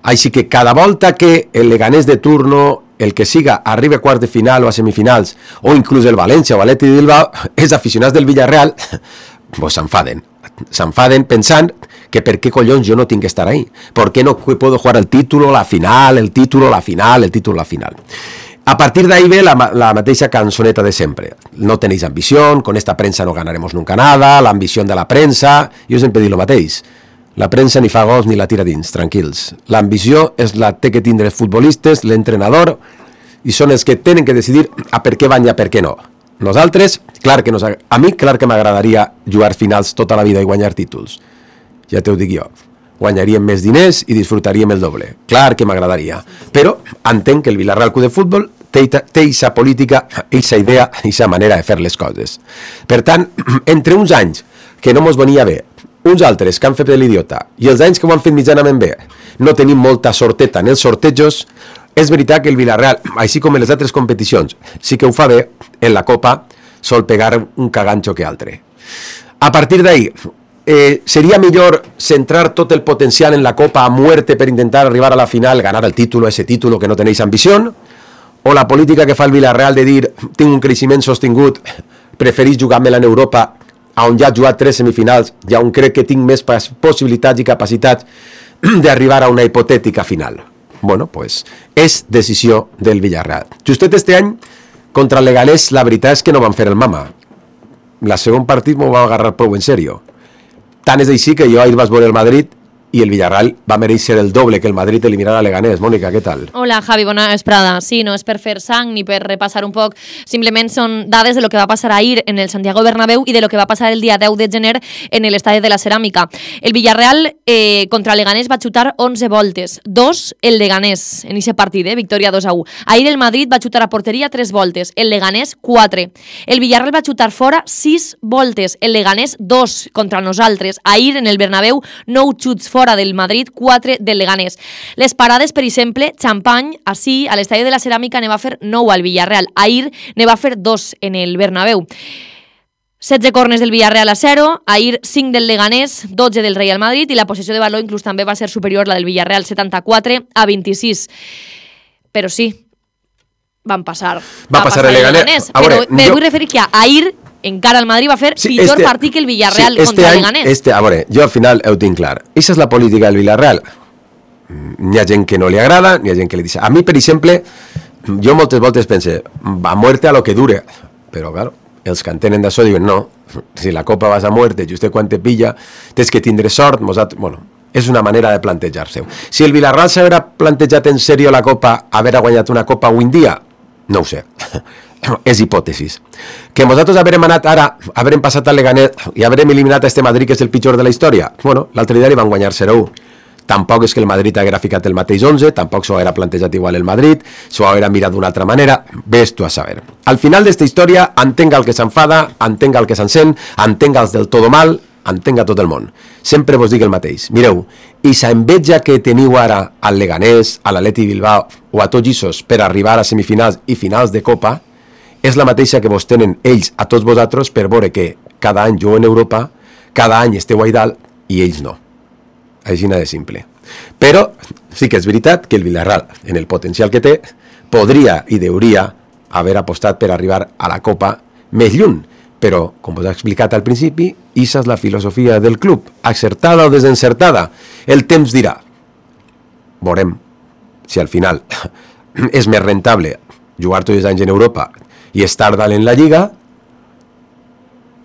Així que cada volta que el Leganés de turno, el que siga, arriba a quarts de final o a semifinals, o inclús el València o l'Atlètic de Bilbao, els aficionats del Villarreal pues s'enfaden. S'enfaden pensant que per què collons jo no tinc que estar ahí. ¿Por qué no puedo jugar el título, la final, el título, la final, el título, la final? A partir de ahí ve la mateixa cançoneta de sempre. No tenéis ambición, con esta prensa no ganaremos nunca nada, la ambición de la prensa... Jo sempre dic el mateix. La premsa ni fa gols ni la tira dins, tranquils. L'ambició és la té que tindre els futbolistes, l'entrenador, i són els que tenen que decidir a per què van i a per què no. Nosaltres, a mi clar que m'agradaria jugar finals tota la vida i guanyar títols. Ja t'ho dic jo. Guanyaríem més diners i disfrutaríem el doble. Clar que m'agradaria. Però entenc que el Villarreal Club de Futbol té aquesta política, aquesta idea, aquesta manera de fer les coses. Per tant, entre uns anys que no mos venia bé, uns altres que han fet l'idiota, i els anys que ho han fet mitjanament bé, no tenim molta sorteta en els sortejos, és veritat que el Villarreal, així com en les altres competicions, sí que ho fa bé, en la Copa sol pegar un cagancho que altre. A partir d'ahí, seria millor centrar tot el potencial en la Copa a muerte per intentar arribar a la final, ganar el título, ese título que no tenéis ambició, o la política que fa el Villarreal de dir tinc un creixement sostingut, preferís jugar-me-la en Europa, on ja he jugat 3 semifinals i on crec que tinc més possibilitats i capacitats d'arribar a una hipotètica final. Bueno, pues és decisió del Villarreal. Justet este any, contra el Leganés, la veritat és que no van fer el mama. La segon partit m'ho va agarrar prou en sèrio. Tant és així que jo ahir vaig veure el Madrid i el Villarreal va mereixer el doble que el Madrid eliminarà a Leganés. Mònica, què tal? Hola, Javi, bona vesprada. Sí, no és per fer sang ni per repassar un poc, simplement són dades de lo que va passar ahir en el Santiago Bernabéu i de lo que va passar el dia 10 de gener en l'estadi de la Ceràmica. El Villarreal contra el Leganés va xutar 11 voltes, 2 el Leganés en aquest partit, victòria 2-1. Ahir el Madrid va xutar a porteria 3 voltes, el Leganés 4. El Villarreal va xutar fora 6 voltes, el Leganés 2 contra nosaltres. Ahir en el Bernabéu 9 xuts fora del Madrid, 4 del Leganés. Les parades, per exemple, Champagne, així, a l'estadi de la Ceràmica ne va fer 9 al Villarreal. Ahir ne va fer 2 en el Bernabéu. 16 corners del Villarreal a 0, ahir 5 del Leganés, 12 del Real Madrid i la possessió de baló inclús també va ser superior la del Villarreal, 74-26. Però sí, van passar. Va passar el Leganés. Però me vull referir que ahir encara el Madrid va fer pitjor partit que el Villarreal contra el Leganés. A veure, jo al final ho tinc clar. Aquesta és la política del Villarreal. N'hi ha gent que no li agrada, n'hi ha gent que li dice. A mi, per exemple, jo moltes voltes pense, a muerte a lo que dure. Però, claro, els que entenen d'això diuen, no, si la Copa vas a muerte, just quan te pilla, tens que tindre sort. Bueno, és una manera de plantejar-se. Si el Villarreal s'haurà plantejat en sèrio la Copa, haver guanyat una Copa avui en dia, no ho sé. És hipòtesis. Que nosaltres haurem anat ara, haurem passat al Leganés i haurem eliminat a este Madrid, que és el pitjor de la història. Bueno, l'altre dia li van guanyar 0-1. Tampoc és que el Madrid haguera ficat el mateix 11, tampoc s'ho haguera plantejat igual el Madrid, s'ho haguera mirat d'una altra manera, ves tu a saber. Al final d'esta història, entenga el que s'enfada, entenga el que s'encén, entenga els del todo mal, entenga tot el món. Sempre vos dic el mateix. Mireu, i sa enveja que teniu ara al Leganés, a l'Atlètic Bilbao o a tots ells per arribar a semifinals i finals de Copa, és la mateixa que vos tenen ells a tots vosaltres per veure que cada any juguen a Europa, cada any esteu a dalt i ells no. Així de simple. Però sí que és veritat que el Villarreal, en el potencial que té, podria i deuria haver apostat per arribar a la Copa més lluny. Però, com us he explicat al principi, aquesta és la filosofia del club, acertada o desencertada. El temps dirà. Veurem si al final és més rentable jugar tots els anys en Europa i estar dalt en la Lliga,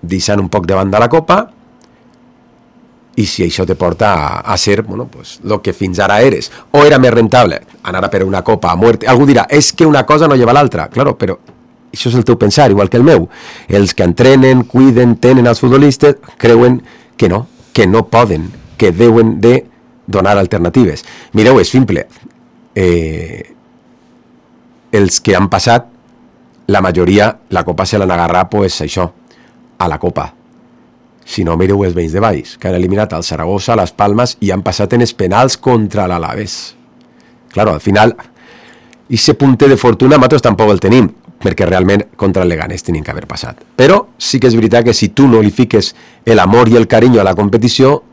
deixant un poc de banda la Copa, i si això te porta a ser, bueno, pues, lo que fins ara eres. O era més rentable anar a per una Copa a muerte. Algú dirà, és que una cosa no lleva l'altra. Claro, però això és el teu pensar, igual que el meu. Els que entrenen, cuiden, tenen els futbolistes, creuen que no poden, que deuen de donar alternatives. Mireu, és simple. Els que han passat, la majoria, la Copa se l'han agarrat, pues això, a la Copa. Si no, mireu els veïns de Valls, que han eliminat el Saragossa, les Palmes, i han passat en els penals contra l'Alaves. Claro, al final, ese punte de fortuna nosaltres tampoc el tenim, perquè realment contra el Leganés tenien que haver passat. Però sí que és veritat que si tu no li fiques l'amor i el carinyo a la competició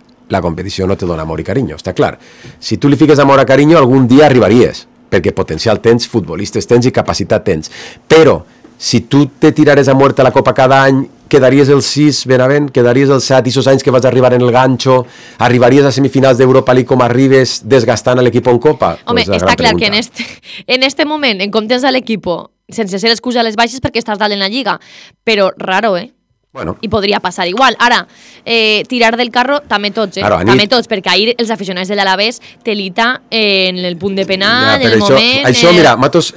no te dona amor i carinyo, està clar. Si tu li fiques amor a carinyo, algun dia arribaries, perquè potencial tens, futbolistes tens i capacitat tens. Però si tu te tirares a muerte a la Copa cada any, quedaries el 6, Benavent, quedaries el 7, i esos anys que vas arribar en el ganxo, arribaries a semifinals d'Europa League com arribes desgastant l'equip en Copa? Home, pues està clar que en este moment, en comptes de l'equip, sense ser excusa a les baixes perquè estàs dalt en la Lliga, però raro, Bueno. I podria passar igual. Ara, tirar del carro també tots, Claro, també tots, perquè ahir els aficionats de l'Alavés telita en el punt de penal, en el moment... Això, mira, matos...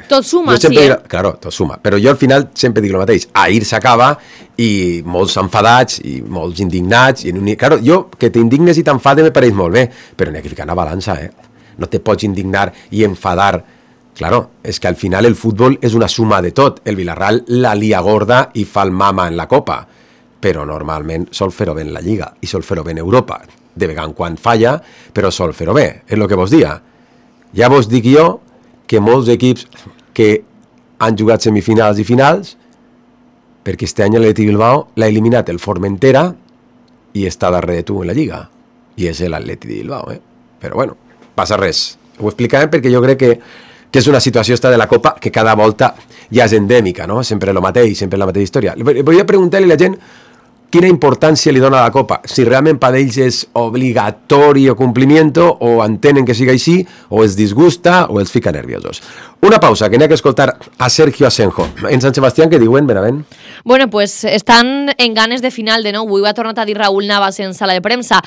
tot suma, sí, Claro, tot suma. Però jo al final sempre dic el mateix. Ahir s'acaba i molts enfadats i molts indignats. Claro, jo, que t'indignes i t'enfades me pareix molt bé, però n'hi ha que ficar una balança, No te pots indignar i enfadar. Claro, és que al final el futbol és una suma de tot. El Villarreal la lia gorda i fa el mama en la Copa, però normalment sol fer-ho bé en la Lliga i sol fer-ho bé en Europa. De vegades en quan falla, però sol fer-ho bé, és el que vos dia. Ja vos dic jo que molts equips que han jugat semifinals i finals, perquè este any l'Atleti Bilbao l'ha eliminat el Formentera i està darrere de tu en la Lliga. I és l'Atleti de Bilbao, Però bueno, passa res. Ho explicarem perquè jo crec que és una situació esta de la Copa que cada volta ja és endèmica, no? Sempre el mateix, sempre la mateixa història. Volia preguntar-li a la gent quina importància li dona a la Copa, si realment per ells és obligatori o complimiento, o entenen que siga així, o els disgusta, o els fica nerviosos. Una pausa, que n'hi ha que escoltar a Sergio Asenjo. En Sant Sebastián, què diuen, Benavent? Bueno, pues estan en ganes de final de nou. Avui ho ha tornat a dir Raúl Navas en sala de premsa.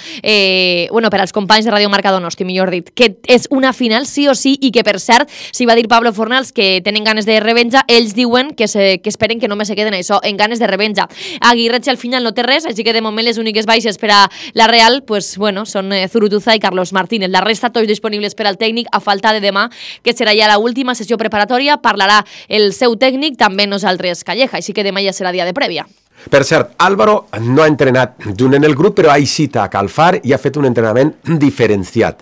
Bueno, per als companys de Radio Marca Donosti, millor dit, que és una final sí o sí, i que, per cert, si va dir Pablo Fornals que tenen ganes de revenja, ells diuen que esperen que només se queden això, en ganes de revenja. Aguirreche al final no té res, així que de moment les úniques baixes per a la Real, pues bueno, són Zurutuza i Carlos Martínez. La resta tots disponibles per al tècnic a falta de demà, que serà ja la última sessió preparatòria. Parlarà el seu tècnic, també nosaltres Calleja, així que demà ja serà dia de prèvia. Per cert, Álvaro no ha entrenat junt en el grup, però ha eixit a Calfar i ha fet un entrenament diferenciat.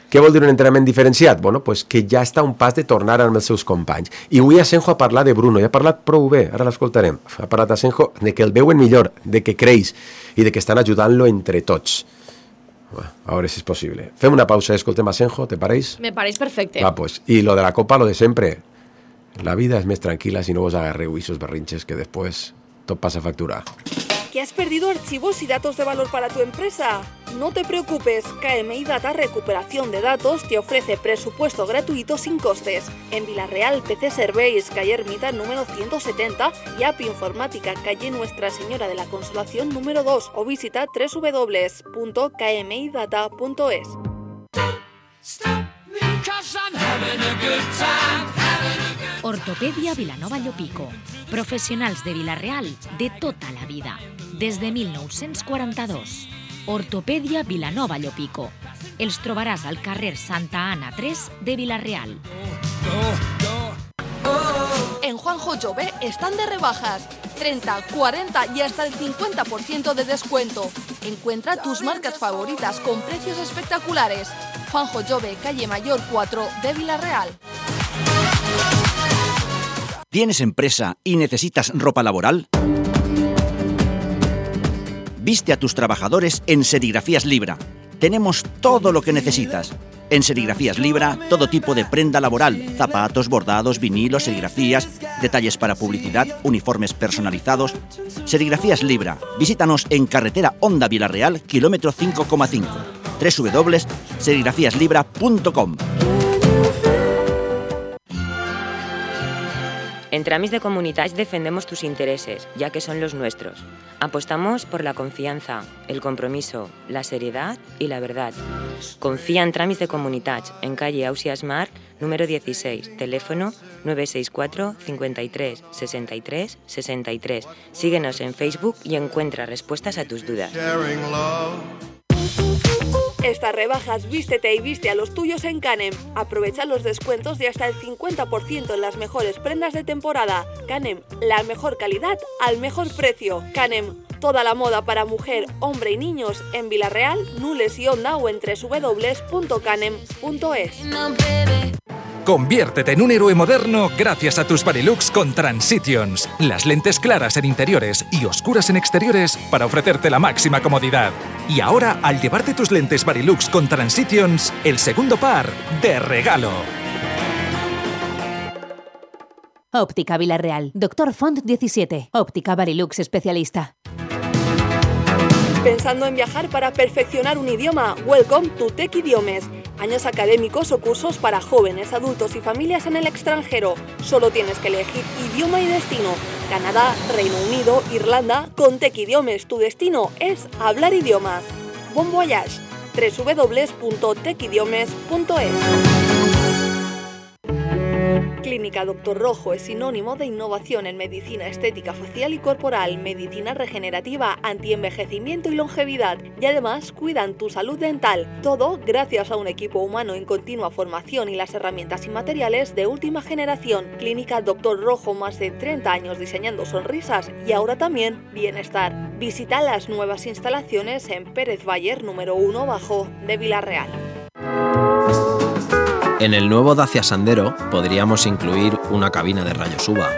Què vol dir un entrenament diferenciat? Bueno, pues que ja està a un pas de tornar amb els seus companys. I avui Asenjo ha parlat de Bruno, i ha parlat prou bé, ara l'escoltarem. Ha parlat Asenjo de que el veuen millor, de que creix i de que estan ajudant-lo entre tots. A veure si és possible. Fem una pausa i escoltem Asenjo, ¿te pareix? Me pareix perfecte. Va, pues. Y lo de la Copa, lo de siempre. La vida es más tranquila si no vos agarreu esos berrinches que después todo pasa factura. ¿Que has perdido archivos y datos de valor para tu empresa? No te preocupes, KMI Data Recuperación de Datos te ofrece presupuesto gratuito sin costes. En Villarreal, PC Serveis, calle Ermita número 170 y App Informática, calle Nuestra Señora de la Consolación número 2 o visita www.kmidata.es. Ortopedia Vilanova Llopico. Professionals de Vila-real de tota la vida. Des de 1942. Ortopedia Vilanova Llopico. Els trobaràs al carrer Santa Ana 3 de Vila-real. En Juanjo Jove están de rebajas. 30, 40 y hasta el 50% de descuento. Encuentra tus marcas favoritas con precios espectaculares. Juanjo Jove, calle Mayor 4 de Vila-real. ¿Tienes empresa y necesitas ropa laboral? Viste a tus trabajadores en Serigrafías Libra. Tenemos todo lo que necesitas. En Serigrafías Libra, todo tipo de prenda laboral, zapatos, bordados, vinilos, serigrafías, detalles para publicidad, uniformes personalizados. Serigrafías Libra. Visítanos en carretera Honda Vila-real, kilómetro 5,5. www.serigrafiaslibra.com. En Tràmits de Comunitats defendemos tus intereses, ya que son los nuestros. Apostamos por la confianza, el compromiso, la seriedad y la verdad. Confía en Tràmits de Comunitats, en calle Ausias Marc, número 16, teléfono 964 53 63 63. Síguenos en Facebook y encuentra respuestas a tus dudas. Estas rebajas vístete y viste a los tuyos en Canem. Aprovecha los descuentos de hasta el 50% en las mejores prendas de temporada. Canem, la mejor calidad al mejor precio. Canem, toda la moda para mujer, hombre y niños en Vilareal, Nules y Onda o en www.canem.es. Conviértete en un héroe moderno gracias a tus Varilux con Transitions. Las lentes claras en interiores y oscuras en exteriores para ofrecerte la máxima comodidad. Y ahora, al llevarte tus lentes Varilux con Transitions, el segundo par de regalo. Óptica Vilareal. Doctor Font 17. Óptica Varilux especialista. ¿Pensando en viajar para perfeccionar un idioma? Welcome to Tech Idiomes. Años académicos o cursos para jóvenes, adultos y familias en el extranjero. Solo tienes que elegir idioma y destino. Canadá, Reino Unido, Irlanda. Con Tech Idiomes tu destino es hablar idiomas. Bon voyage. www.techidiomes.es. Clínica Doctor Rojo es sinónimo de innovación en medicina estética facial y corporal, medicina regenerativa, antienvejecimiento y longevidad. Y además cuidan tu salud dental. Todo gracias a un equipo humano en continua formación y las herramientas y materiales de última generación. Clínica Doctor Rojo, más de 30 años diseñando sonrisas y ahora también bienestar. Visita las nuevas instalaciones en Pérez Bayer, número 1 bajo de Vilareal. En el nuevo Dacia Sandero podríamos incluir una cabina de rayos UVA,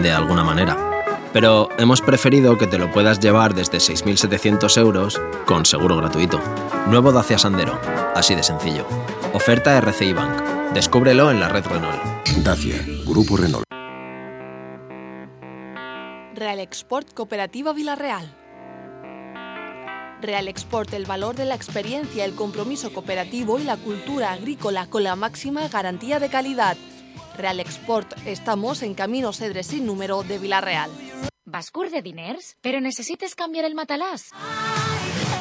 de alguna manera. Pero hemos preferido que te lo puedas llevar desde 6.700 euros con seguro gratuito. Nuevo Dacia Sandero, así de sencillo. Oferta RCI Bank. Descúbrelo en la red Renault. Dacia, Grupo Renault. Real Export Cooperativa Vilareal. Real Export, el valor de la experiencia, el compromiso cooperativo y la cultura agrícola con la máxima garantía de calidad. Real Export, estamos en Camino Cedre sin número de Vilareal. Vas curt de diners, però necessites canviar el matalàs?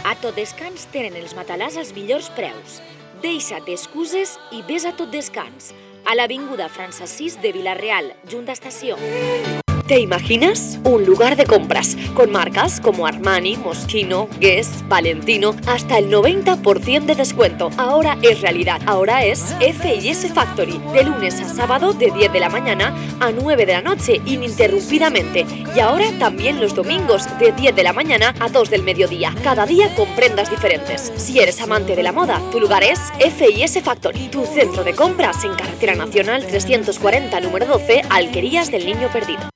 A Tot Descans tenen els matalàs als millors preus. Deixa't d'excuses i ves a Tot Descans, a l'avinguda França 6 de Vilareal, junt a estació. ¿Te imaginas? Un lugar de compras con marcas como Armani, Moschino, Guess, Valentino, hasta el 90% de descuento. Ahora es realidad. Ahora es F&S Factory, de lunes a sábado de 10 de la mañana a 9 de la noche, ininterrumpidamente. Y ahora también los domingos de 10 de la mañana a 2 del mediodía. Cada día con prendas diferentes. Si eres amante de la moda, tu lugar es F&S Factory, tu centro de compras en Carretera Nacional 340, número 12, Alquerías del Niño Perdido.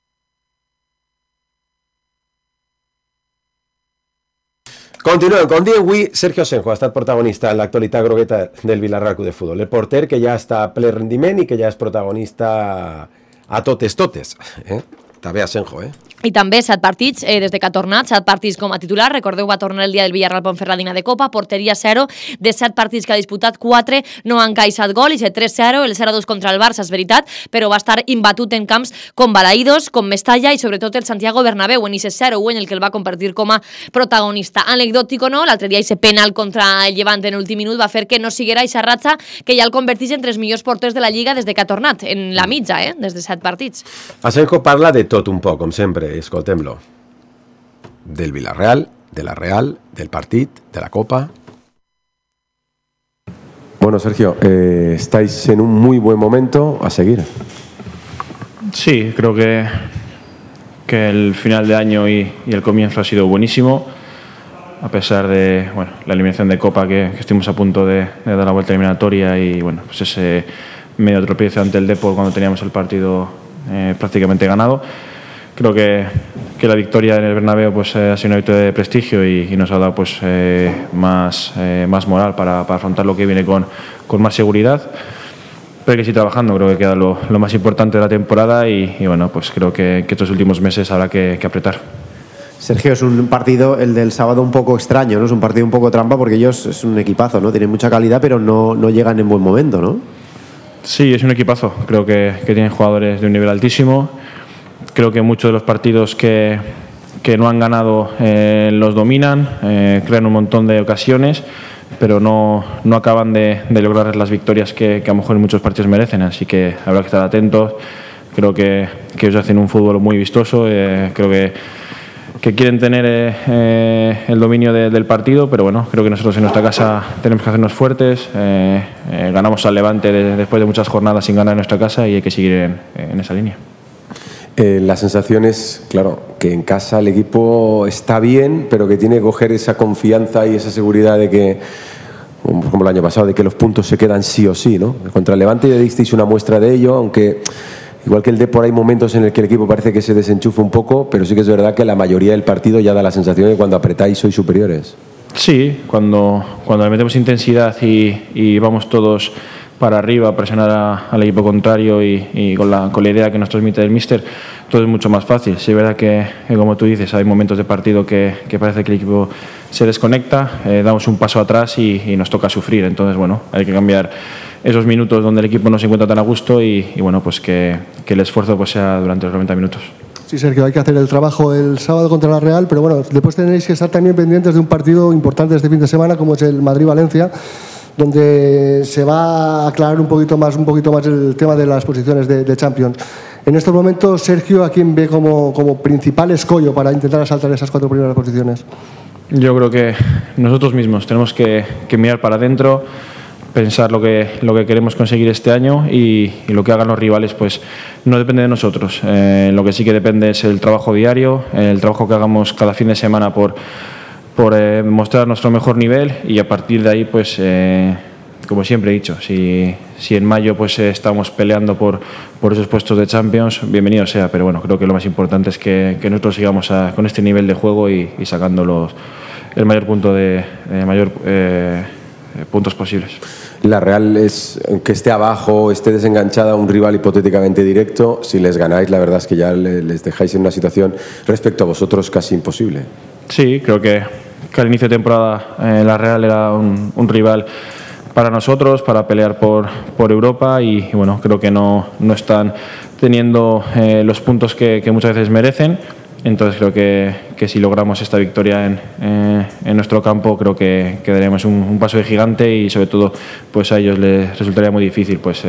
Continuem, com diem avui, Sergio Senjo ha estat protagonista en l'actualitat grogueta del Vilareal Club de Futbol. El porter que ja està a ple rendiment i que ja és protagonista a totes. Està bé a Senjo, I també 7 partits des de que ha tornat, 7 partits com a titular. Recordeu, va tornar el dia del Villarreal Ponferradina de Copa, porteria 0. De 7 partits que ha disputat, 4 no han encaixat gol, i 3-0, el 0-2 contra el Barça, és veritat, però va estar imbatut en camps com Balaïdos, com Mestalla i sobretot el Santiago Bernabéu, en ese 0-1 en el que el va convertir com a protagonista. Anecdòtic o no, l'altre dia ese penal contra el Llevant en l'últim minut va fer que no siguera aquesta ratxa que ja el convertís entre els millors porters de la Lliga des de que ha tornat, en la mitja, des de 7 partits. A Senjo parla de tot un poc, com sempre. Escoltem-lo. Del Vilareal, de la Real, del partit, de la Copa. Bueno, Sergio, estáis en un muy buen momento a seguir. Sí, creo que el final de año y el comienzo ha sido buenísimo, a pesar de la eliminación de Copa que estuvimos a punto de dar la vuelta eliminatoria y pues ese medio tropiezo ante el Depor cuando teníamos el partido prácticamente ganado. Creo que la victoria en el Bernabéu ha sido una victoria de prestigio y nos ha dado más moral para afrontar lo que viene con más seguridad. Pero hay que seguir trabajando, creo que queda lo más importante de la temporada y creo que estos últimos meses habrá que apretar. Sergio, es un partido, el del sábado, un poco extraño, ¿no? Es un partido un poco trampa porque ellos es un equipazo, ¿no? Tienen mucha calidad, pero no llegan en buen momento, ¿no? Sí, es un equipazo. Creo que tienen jugadores de un nivel altísimo. creo que muchos de los partidos que no han ganado los dominan, crean un montón de ocasiones, pero no acaban de lograr las victorias que a lo mejor en muchos partidos merecen, así que habrá que estar atentos. Creo que ellos hacen un fútbol muy vistoso, creo que quieren tener el dominio del partido, pero bueno, creo que nosotros en nuestra casa tenemos que hacernos fuertes. Ganamos al Levante después de muchas jornadas sin ganar en nuestra casa y hay que seguir en esa línea. La sensación es, claro, que en casa el equipo está bien, pero que tiene que coger esa confianza y esa seguridad de que, como el año pasado, de que los puntos se quedan sí o sí, ¿no? Contra el Levante ya disteis una muestra de ello, aunque igual que el Depor hay momentos en el que el equipo parece que se desenchufa un poco, pero sí que es verdad que la mayoría del partido ya da la sensación de que cuando apretáis sois superiores. Sí, cuando le metemos intensidad y vamos todos para arriba a presionar al equipo contrario y con la idea que nos transmite el míster, todo es mucho más fácil. Sí, es verdad que como tú dices, hay momentos de partido que parece que el equipo se desconecta, damos un paso atrás y nos toca sufrir. Entonces, bueno, hay que cambiar esos minutos donde el equipo no se encuentra tan a gusto y bueno, pues que el esfuerzo pues sea durante los 90 minutos. Sí, Sergio, hay que hacer el trabajo el sábado contra la Real, pero bueno, después tenéis que estar también pendientes de un partido importante este fin de semana, como es el Madrid-Valencia, donde se va a aclarar un poquito más el tema de las posiciones de Champions. En estos momentos, Sergio, ¿a quién ve como principal escollo para intentar asaltar esas 4 primeras posiciones? Yo creo que nosotros mismos tenemos que mirar para adentro, pensar lo que queremos conseguir este año y lo que hagan los rivales pues no depende de nosotros. Lo que sí que depende es el trabajo diario, el trabajo que hagamos cada fin de semana por mostrar nuestro mejor nivel y a partir de ahí pues como siempre he dicho, si en mayo pues estamos peleando por esos puestos de Champions, bienvenido sea, pero bueno, creo que lo más importante es que nosotros sigamos con este nivel de juego y sacando el mayor puntos posibles. La Real es, aunque esté abajo, esté desenganchada, un rival hipotéticamente directo, si les ganáis la verdad es que ya les dejáis en una situación respecto a vosotros casi imposible. Sí, creo que al inicio de temporada la Real era un rival para nosotros, para pelear por Europa y bueno, creo que no están teniendo los puntos que muchas veces merecen. Entonces creo que si logramos esta victoria en nuestro campo, creo que daremos un paso de gigante y sobre todo pues a ellos les resultaría muy difícil pues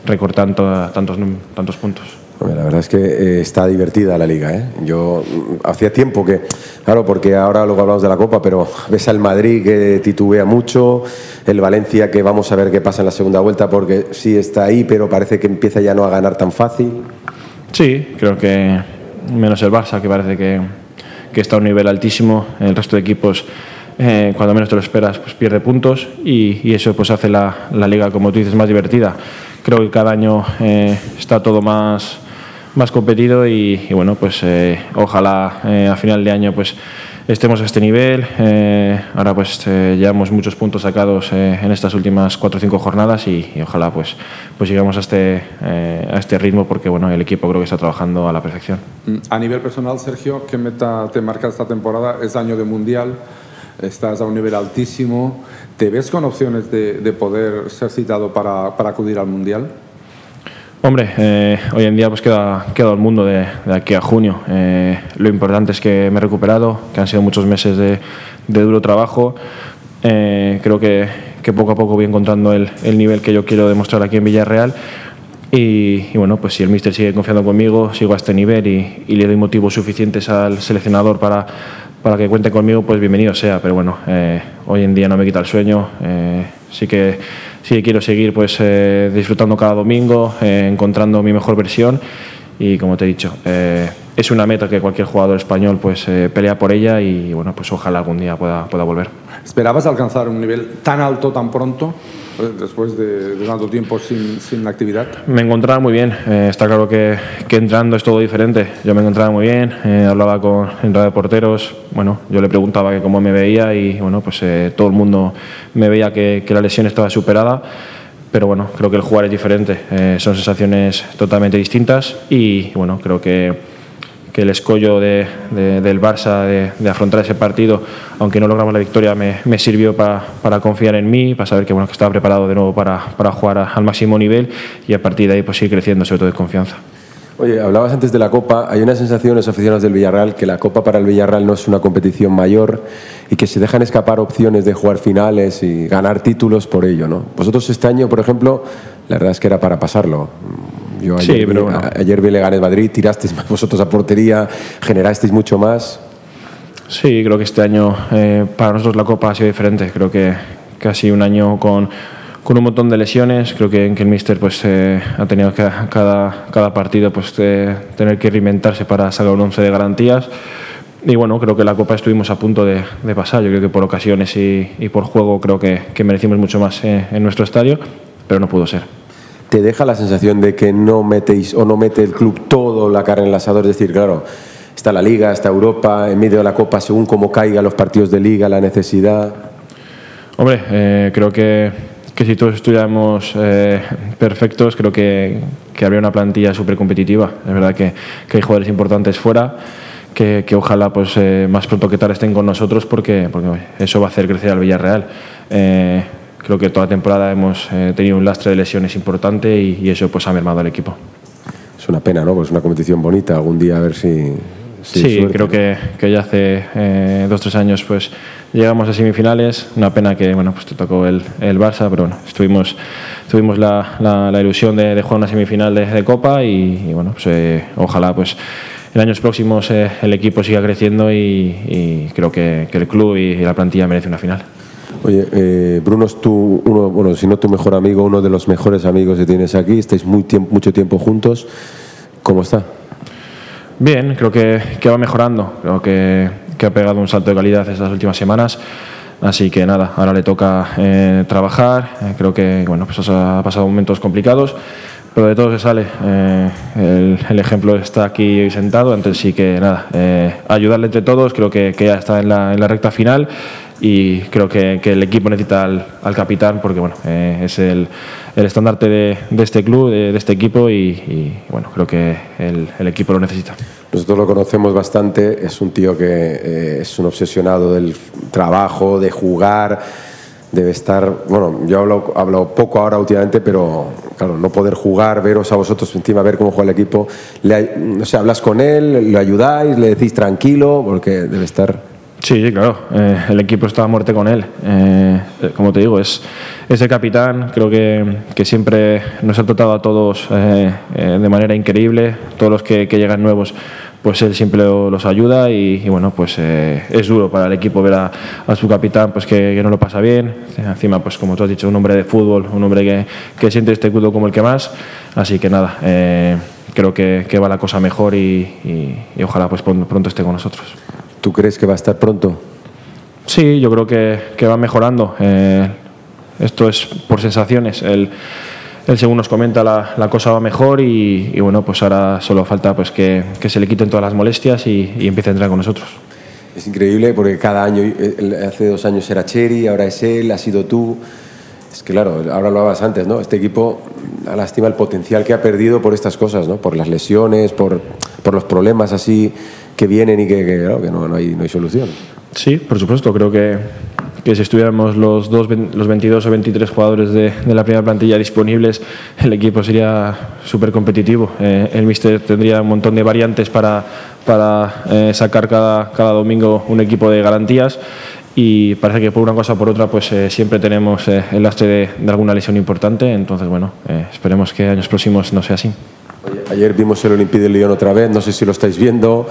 recortar tantos puntos. La verdad es que está divertida la liga, ¿eh? Yo hacía tiempo que, claro, porque ahora luego hablamos de la Copa, pero ves al Madrid que titubea mucho, el Valencia que vamos a ver qué pasa en la segunda vuelta porque sí está ahí, pero parece que empieza ya no a ganar tan fácil. Sí, creo que menos el Barça, que parece que está a un nivel altísimo. El resto de equipos, cuando menos te lo esperas, pues pierde puntos y eso pues hace la liga, como tú dices, más divertida. Creo que cada año está todo más competido y bueno, pues ojalá a final de año pues estemos a este nivel. Ahora pues llevamos muchos puntos sacados en estas últimas 4 o 5 jornadas y ojalá pues llegamos a este ritmo porque bueno, el equipo creo que está trabajando a la perfección. A nivel personal, Sergio, ¿qué meta te marca esta temporada? Es año de Mundial, estás a un nivel altísimo. ¿Te ves con opciones de poder ser citado para acudir al Mundial? Hombre, hoy en día pues queda el mundo de aquí a junio. Lo importante es que me he recuperado, que han sido muchos meses de duro trabajo. Creo que poco a poco voy encontrando el nivel que yo quiero demostrar aquí en Villarreal. Y bueno, pues si el míster sigue confiando conmigo, sigo a este nivel y le doy motivos suficientes al seleccionador para que cuente conmigo, pues bienvenido sea. Pero bueno, hoy en día no me quita el sueño. Sí que quiero seguir pues disfrutando cada domingo, encontrando mi mejor versión y como te he dicho, es una meta que cualquier jugador español pues pelea por ella y bueno, pues ojalá algún día pueda volver. ¿Esperabas alcanzar un nivel tan alto tan pronto después de tanto tiempo sin actividad? Me encontraba muy bien, está claro que entrando es todo diferente. Yo me encontraba muy bien, hablaba en radio de porteros, bueno, yo le preguntaba que cómo me veía y bueno, pues todo el mundo me veía que la lesión estaba superada. Pero bueno, creo que el jugar es diferente, son sensaciones totalmente distintas y bueno, creo que el escollo del Barça de afrontar ese partido, aunque no logramos la victoria, me sirvió para confiar en mí, para saber que estaba preparado de nuevo para jugar al máximo nivel y a partir de ahí pues seguir creciendo, sobre todo de confianza. Oye, hablabas antes de la Copa. Hay una sensación en los aficionados del Villarreal que la Copa para el Villarreal no es una competición mayor y que se dejan escapar opciones de jugar finales y ganar títulos por ello, ¿no? Vosotros este año, por ejemplo, la verdad es que era para pasarlo. Yo ayer vi Leganés Madrid, tirasteis más vosotros a portería, generasteis mucho más. Sí, creo que este año para nosotros la Copa ha sido diferente. Creo que ha sido un año con un montón de lesiones. Creo que el míster pues, ha tenido que cada partido pues, tener que reinventarse para sacar un 11 de garantías. Y bueno, creo que la Copa estuvimos a punto de pasar. Yo creo que por ocasiones y por juego creo que merecimos mucho más en nuestro estadio, pero no pudo ser. ¿Te deja la sensación de que no metéis o no mete el club todo la carne en el asador? Es decir, claro, está la Liga, está Europa, en medio de la Copa, según cómo caigan los partidos de Liga, la necesidad. Hombre, creo que si todos estuviéramos perfectos, creo que habría una plantilla súper competitiva. Es verdad que hay jugadores importantes fuera, que ojalá pues, más pronto que tarde estén con nosotros porque eso va a hacer crecer al Villarreal. Creo que toda la temporada hemos tenido un lastre de lesiones importante y eso pues, ha mermado al equipo. Es una pena, ¿no? Pues es una competición bonita. Algún día a ver si sí, suerte. Creo que ya hace 2 o 3 años pues llegamos a semifinales. Una pena que bueno pues te tocó el Barça, pero bueno, tuvimos la ilusión de jugar una semifinal de Copa y bueno pues ojalá pues en años próximos el equipo siga creciendo y creo que el club y la plantilla merece una final. Oye, Bruno es si no tu mejor amigo, uno de los mejores amigos que tienes aquí. Estáis mucho tiempo juntos. ¿Cómo está? Bien, creo que va mejorando. Creo que ha pegado un salto de calidad estas últimas semanas. Así que nada, ahora le toca trabajar. Creo que bueno, pues ha pasado momentos complicados, pero de todo se sale. El ejemplo está aquí sentado, entonces sí que nada, ayudarle entre todos. Creo que ya está en la recta final y creo que el equipo necesita al capitán porque bueno, es el estandarte de este club, de este equipo y bueno, creo que el equipo lo necesita. Nosotros lo conocemos bastante, es un tío que es un obsesionado del trabajo, de jugar, debe estar, bueno, yo hablo poco ahora últimamente, pero claro, no poder jugar, veros a vosotros encima, ver cómo juega el equipo, no sé, hablas con él, lo ayudáis, le decís tranquilo, porque debe estar... Sí, claro, el equipo está a muerte con él. Como te digo, es el capitán. Creo que siempre nos ha tratado a todos de manera increíble. Todos los que llegan nuevos, pues él siempre los ayuda y bueno, pues es duro para el equipo ver a su capitán pues que no lo pasa bien. Encima, pues como tú has dicho, un hombre de fútbol, un hombre que siente este club como el que más. Así que nada, creo que va la cosa mejor y ojalá pues pronto esté con nosotros. ¿Tú crees que va a estar pronto? Sí, yo creo que va mejorando. Esto es por sensaciones. Él según nos comenta, la cosa va mejor y bueno, pues ahora solo falta pues que se le quiten todas las molestias y empiece a entrar con nosotros. Es increíble porque cada año, hace 2 años era Cheri, ahora es él, ha sido tú. Es que claro, ahora lo hablabas antes, ¿no? Este equipo, a lástima el potencial que ha perdido por estas cosas, ¿no? Por las lesiones, por los problemas así que vienen y claro, que no hay solución. Sí, por supuesto. Creo que si estuviéramos los 22 o 23 jugadores de la primera plantilla disponibles, el equipo sería súper competitivo. El míster tendría un montón de variantes para sacar cada domingo un equipo de garantías y parece que por una cosa o por otra pues siempre tenemos el lastre de alguna lesión importante. Entonces, bueno, esperemos que años próximos no sea así. Oye, ayer vimos el Olympique de Lyon otra vez, no sé si lo estáis viendo,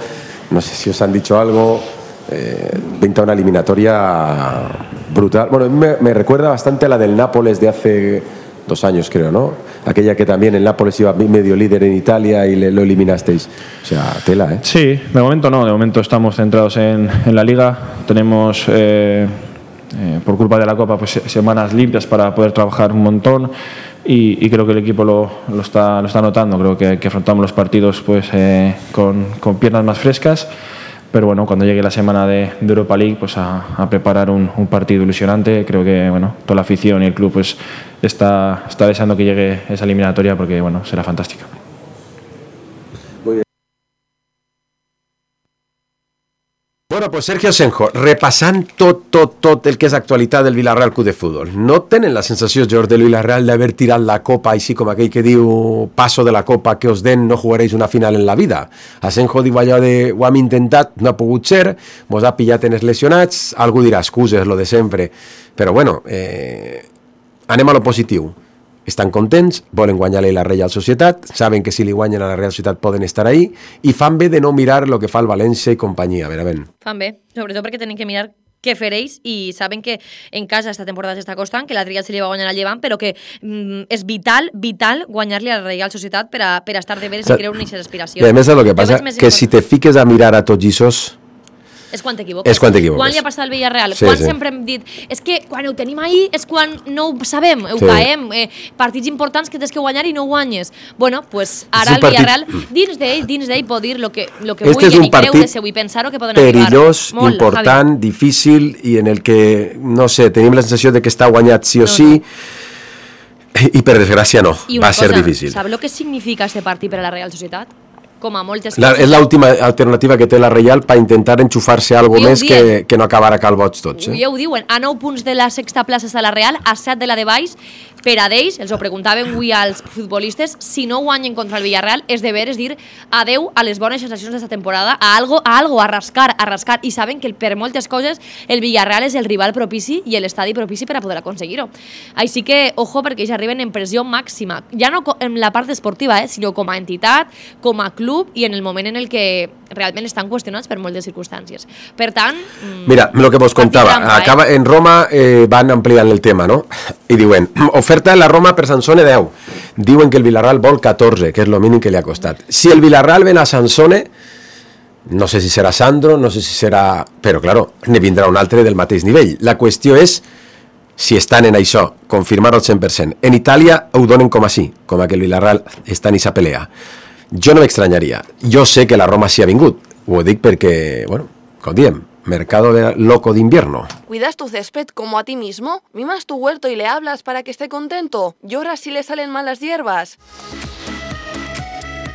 no sé si os han dicho algo. Pinta una eliminatoria brutal. Bueno, me recuerda bastante a la del Nápoles de hace 2 años, creo, ¿no? Aquella que también el Nápoles iba medio líder en Italia y lo eliminasteis. O sea, tela, ¿eh? Sí, de momento no. De momento estamos centrados en la Liga. Tenemos, por culpa de la Copa, pues semanas limpias para poder trabajar un montón. Y creo que el equipo lo está notando. Creo que afrontamos los partidos pues con piernas más frescas. Pero bueno, cuando llegue la semana de Europa League, pues a preparar un partido ilusionante. Creo que bueno, toda la afición y el club pues está deseando que llegue esa eliminatoria porque bueno, será fantástica. Muy bien. Bueno, pues Sergio Senjo, repassant tot el que és actualitat del Villarreal Club de Futbol. No tenen la sensació, George, del Villarreal d'haver tirat la copa així com aquell que diu paso de la copa que os den, no jugaréis una final en la vida? A Senjo diu allò de ho hem intentat, no ha pogut ser, mos ha pillat en els lesionats, algú dirà excuses, lo de sempre, però bueno, anem a lo positiu. Estan contents, volen guanyar-li la Real Societat, saben que si li guanyen a la Real Societat poden estar ahí, i fan bé de no mirar el que fa el València i companyia. Fan bé, sobretot perquè tenen que mirar què fereix i saben que en casa esta temporada s'està costant, que la Trial se li va guanyar al Llevant, però que és vital guanyar-li a la Real Societat per a estar de veres i creure en aquestes aspiracions. I a més, el que passa que si te fiques a mirar a tots aquests és quan t'equivoques. Quan li ha passat al Villarreal? Quan sempre hem dit, és que quan ho tenim ahí és quan no ho sabem, ho caem, partits importants que tens que guanyar i no guanyes. Bueno, pues ara el Villarreal, dins d'ell pot dir lo que vulgui i creure-se i pensar-ho que poden arribar. Perillós, important, difícil i en el que, no sé, tenim la sensació de que està guanyat sí o sí i per desgràcia no, va ser difícil. Sap el que significa este partit per a la Real Societat? Com a moltes coses. És l'última alternativa que té la Reial per intentar enxufar-se algo més que no acabar a calbots tots. Ja ho diuen, a 9 punts de la sexta plaça està la Real, a 7 de la de baix, per a d'ells, els ho preguntaven avui als futbolistes, si no guanyen contra el Villarreal, és de veres dir adeu a les bones sensacions d'esta temporada, a algo, a rascar, i saben que per moltes coses el Villarreal és el rival propici i l'estadi propici per a poder aconseguir-ho. Així que, ojo, perquè ells arriben en pressió màxima, ja no en la part esportiva, sinó com a entitat, com a club i en el moment en el que realment estan qüestionats per moltes circumstàncies. Per tant... Mira, el que vos contava, en Roma van ampliant el tema, no? I diuen, oferta de la Roma per Sansone 10. Diuen que el Villarreal vol 14, que és el mínim que li ha costat. Si el Villarreal ven a Sansone, no sé si serà Sandro, no sé si serà... Però, claro, ne vindrà un altre del mateix nivell. La qüestió és si estan en això, confirmar-ho al 100%. En Itàlia ho donen com així, com que el Villarreal està en aquesta pelea. Jo no m'extranyaria. Jo sé que la Roma s'hi ha vingut. Ho dic perquè, bueno, com diem, mercado loco de invierno. ¿Cuidas tu césped como a ti mismo? ¿Mimas tu huerto y le hablas para que esté contento? ¿Lloras si le salen mal las hierbas?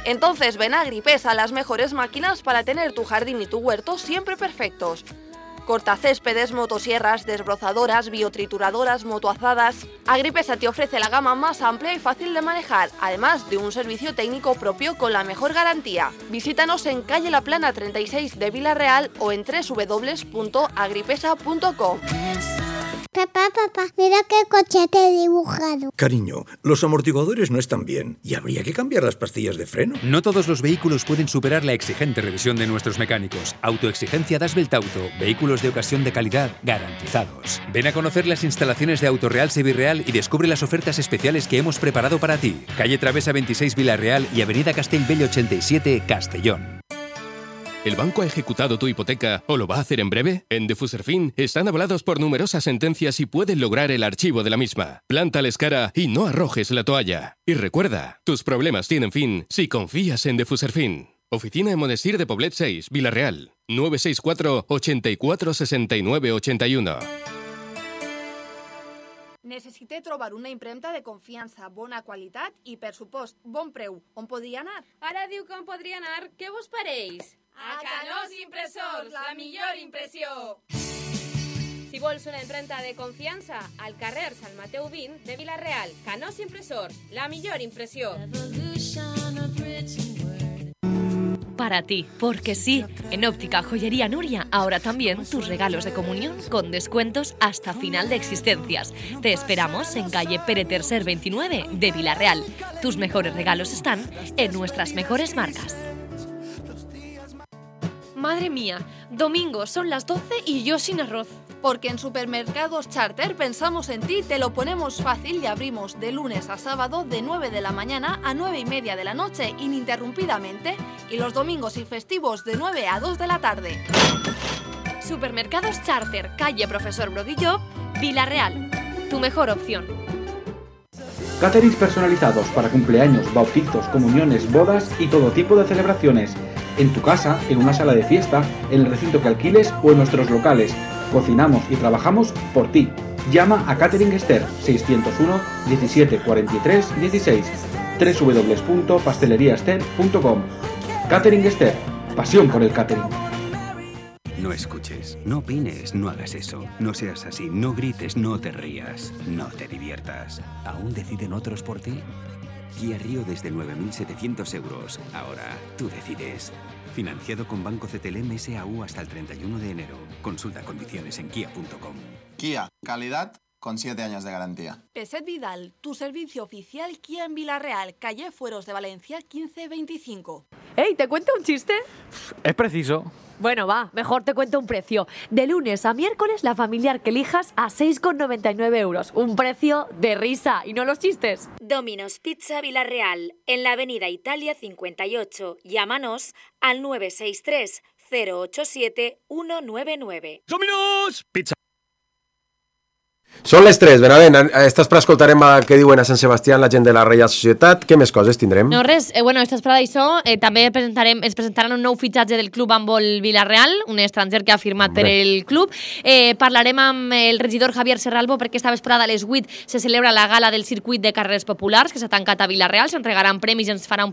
Entonces ven a Agripesa, las mejores máquinas para tener tu jardín y tu huerto siempre perfectos. Cortacéspedes, motosierras, desbrozadoras, biotrituradoras, motoazadas. Agripesa te ofrece la gama más amplia y fácil de manejar, además de un servicio técnico propio con la mejor garantía. Visítanos en calle La Plana 36 de Villarreal o en www.agripesa.com. Papá, mira qué coche te he dibujado. Cariño, los amortiguadores no están bien y habría que cambiar las pastillas de freno. No todos los vehículos pueden superar la exigente revisión de nuestros mecánicos. Autoexigencia Dasbelt Auto. Vehículos de ocasión de calidad garantizados. Ven a conocer las instalaciones de Autoreal Sevirreal y descubre las ofertas especiales que hemos preparado para ti. Calle Travesa 26 Villarreal y Avenida Castellbell 87 Castellón. ¿El banco ha ejecutado tu hipoteca o lo va a hacer en breve? En Defuserfin están avalados por numerosas sentencias y pueden lograr el archivo de la misma. Plántales cara y no arrojes la toalla. Y recuerda, tus problemas tienen fin si confías en Defuserfin. Oficina en Monestir de Poblet 6, Villarreal. 964 84 69 81. Necessite trobar una impremta de confiança, bona qualitat i, per supost, bon preu. On podria anar? Ara diu que on podria anar. Què vos pareix? A Canós Impressors, la millor impressió! Si vols una impremta de confiança, al carrer Sant Mateu 20 de Villarreal. Canós Impressors, la millor impressió. Para ti, porque sí, en Óptica Joyería Nuria, ahora también tus regalos de comunión con descuentos hasta final de existencias. Te esperamos en calle Pere Tercer 29 de Villarreal. Tus mejores regalos están en nuestras mejores marcas. Madre mía, domingo son las 12 y yo sin arroz. Porque en Supermercados Charter pensamos en ti, te lo ponemos fácil y abrimos de lunes a sábado de 9 de la mañana a 9:30 de la noche ininterrumpidamente y los domingos y festivos de 9 a 2 de la tarde. Supermercados Charter, calle Profesor Brodillo, Villarreal. Tu mejor opción. Caterings personalizados para cumpleaños, bautizos, comuniones, bodas y todo tipo de celebraciones. En tu casa, en una sala de fiesta, en el recinto que alquiles o en nuestros locales. Cocinamos y trabajamos por ti. Llama a Catering Esther 601 17 43 16 www.pasteleriaester.com. Catering Esther, pasión por el catering. no escuches, no opines, no hagas eso, no seas así, no grites, no te rías, no te diviertas. ¿Aún deciden otros por ti? Kia Rio desde 9.700 euros. Ahora tú decides. Financiado con Banco CTLM SAU hasta el 31 de enero. Consulta condiciones en kia.com. Kia, calidad con 7 años de garantía. Peset Vidal, tu servicio oficial Kia en Villarreal, calle Fueros de Valencia 1525. ¡Ey, te cuento un chiste! Es preciso. Bueno, va, mejor te cuento un precio. De lunes a miércoles, la familiar que elijas a 6,99 euros. Un precio de risa, y no los chistes. Domino's Pizza Villarreal, en la avenida Italia 58. Llámanos al 963 087 199. ¡Domino's Pizza! Són les 3, Benavent, estàs per escoltarem què diuen a Sant Sebastià la gent de la Reial Societat. Què més coses tindrem? No, res, estàs per d'això. També ens presentaran un nou fitxatge del club handbol Villarreal, un estranger que ha firmat per el club. Parlarem amb el regidor Javier Serralbo perquè esta vesprada a les 8 se celebra la gala del circuit de carreres populars que s'ha tancat a Villarreal, s'entregaran premis i ens farà un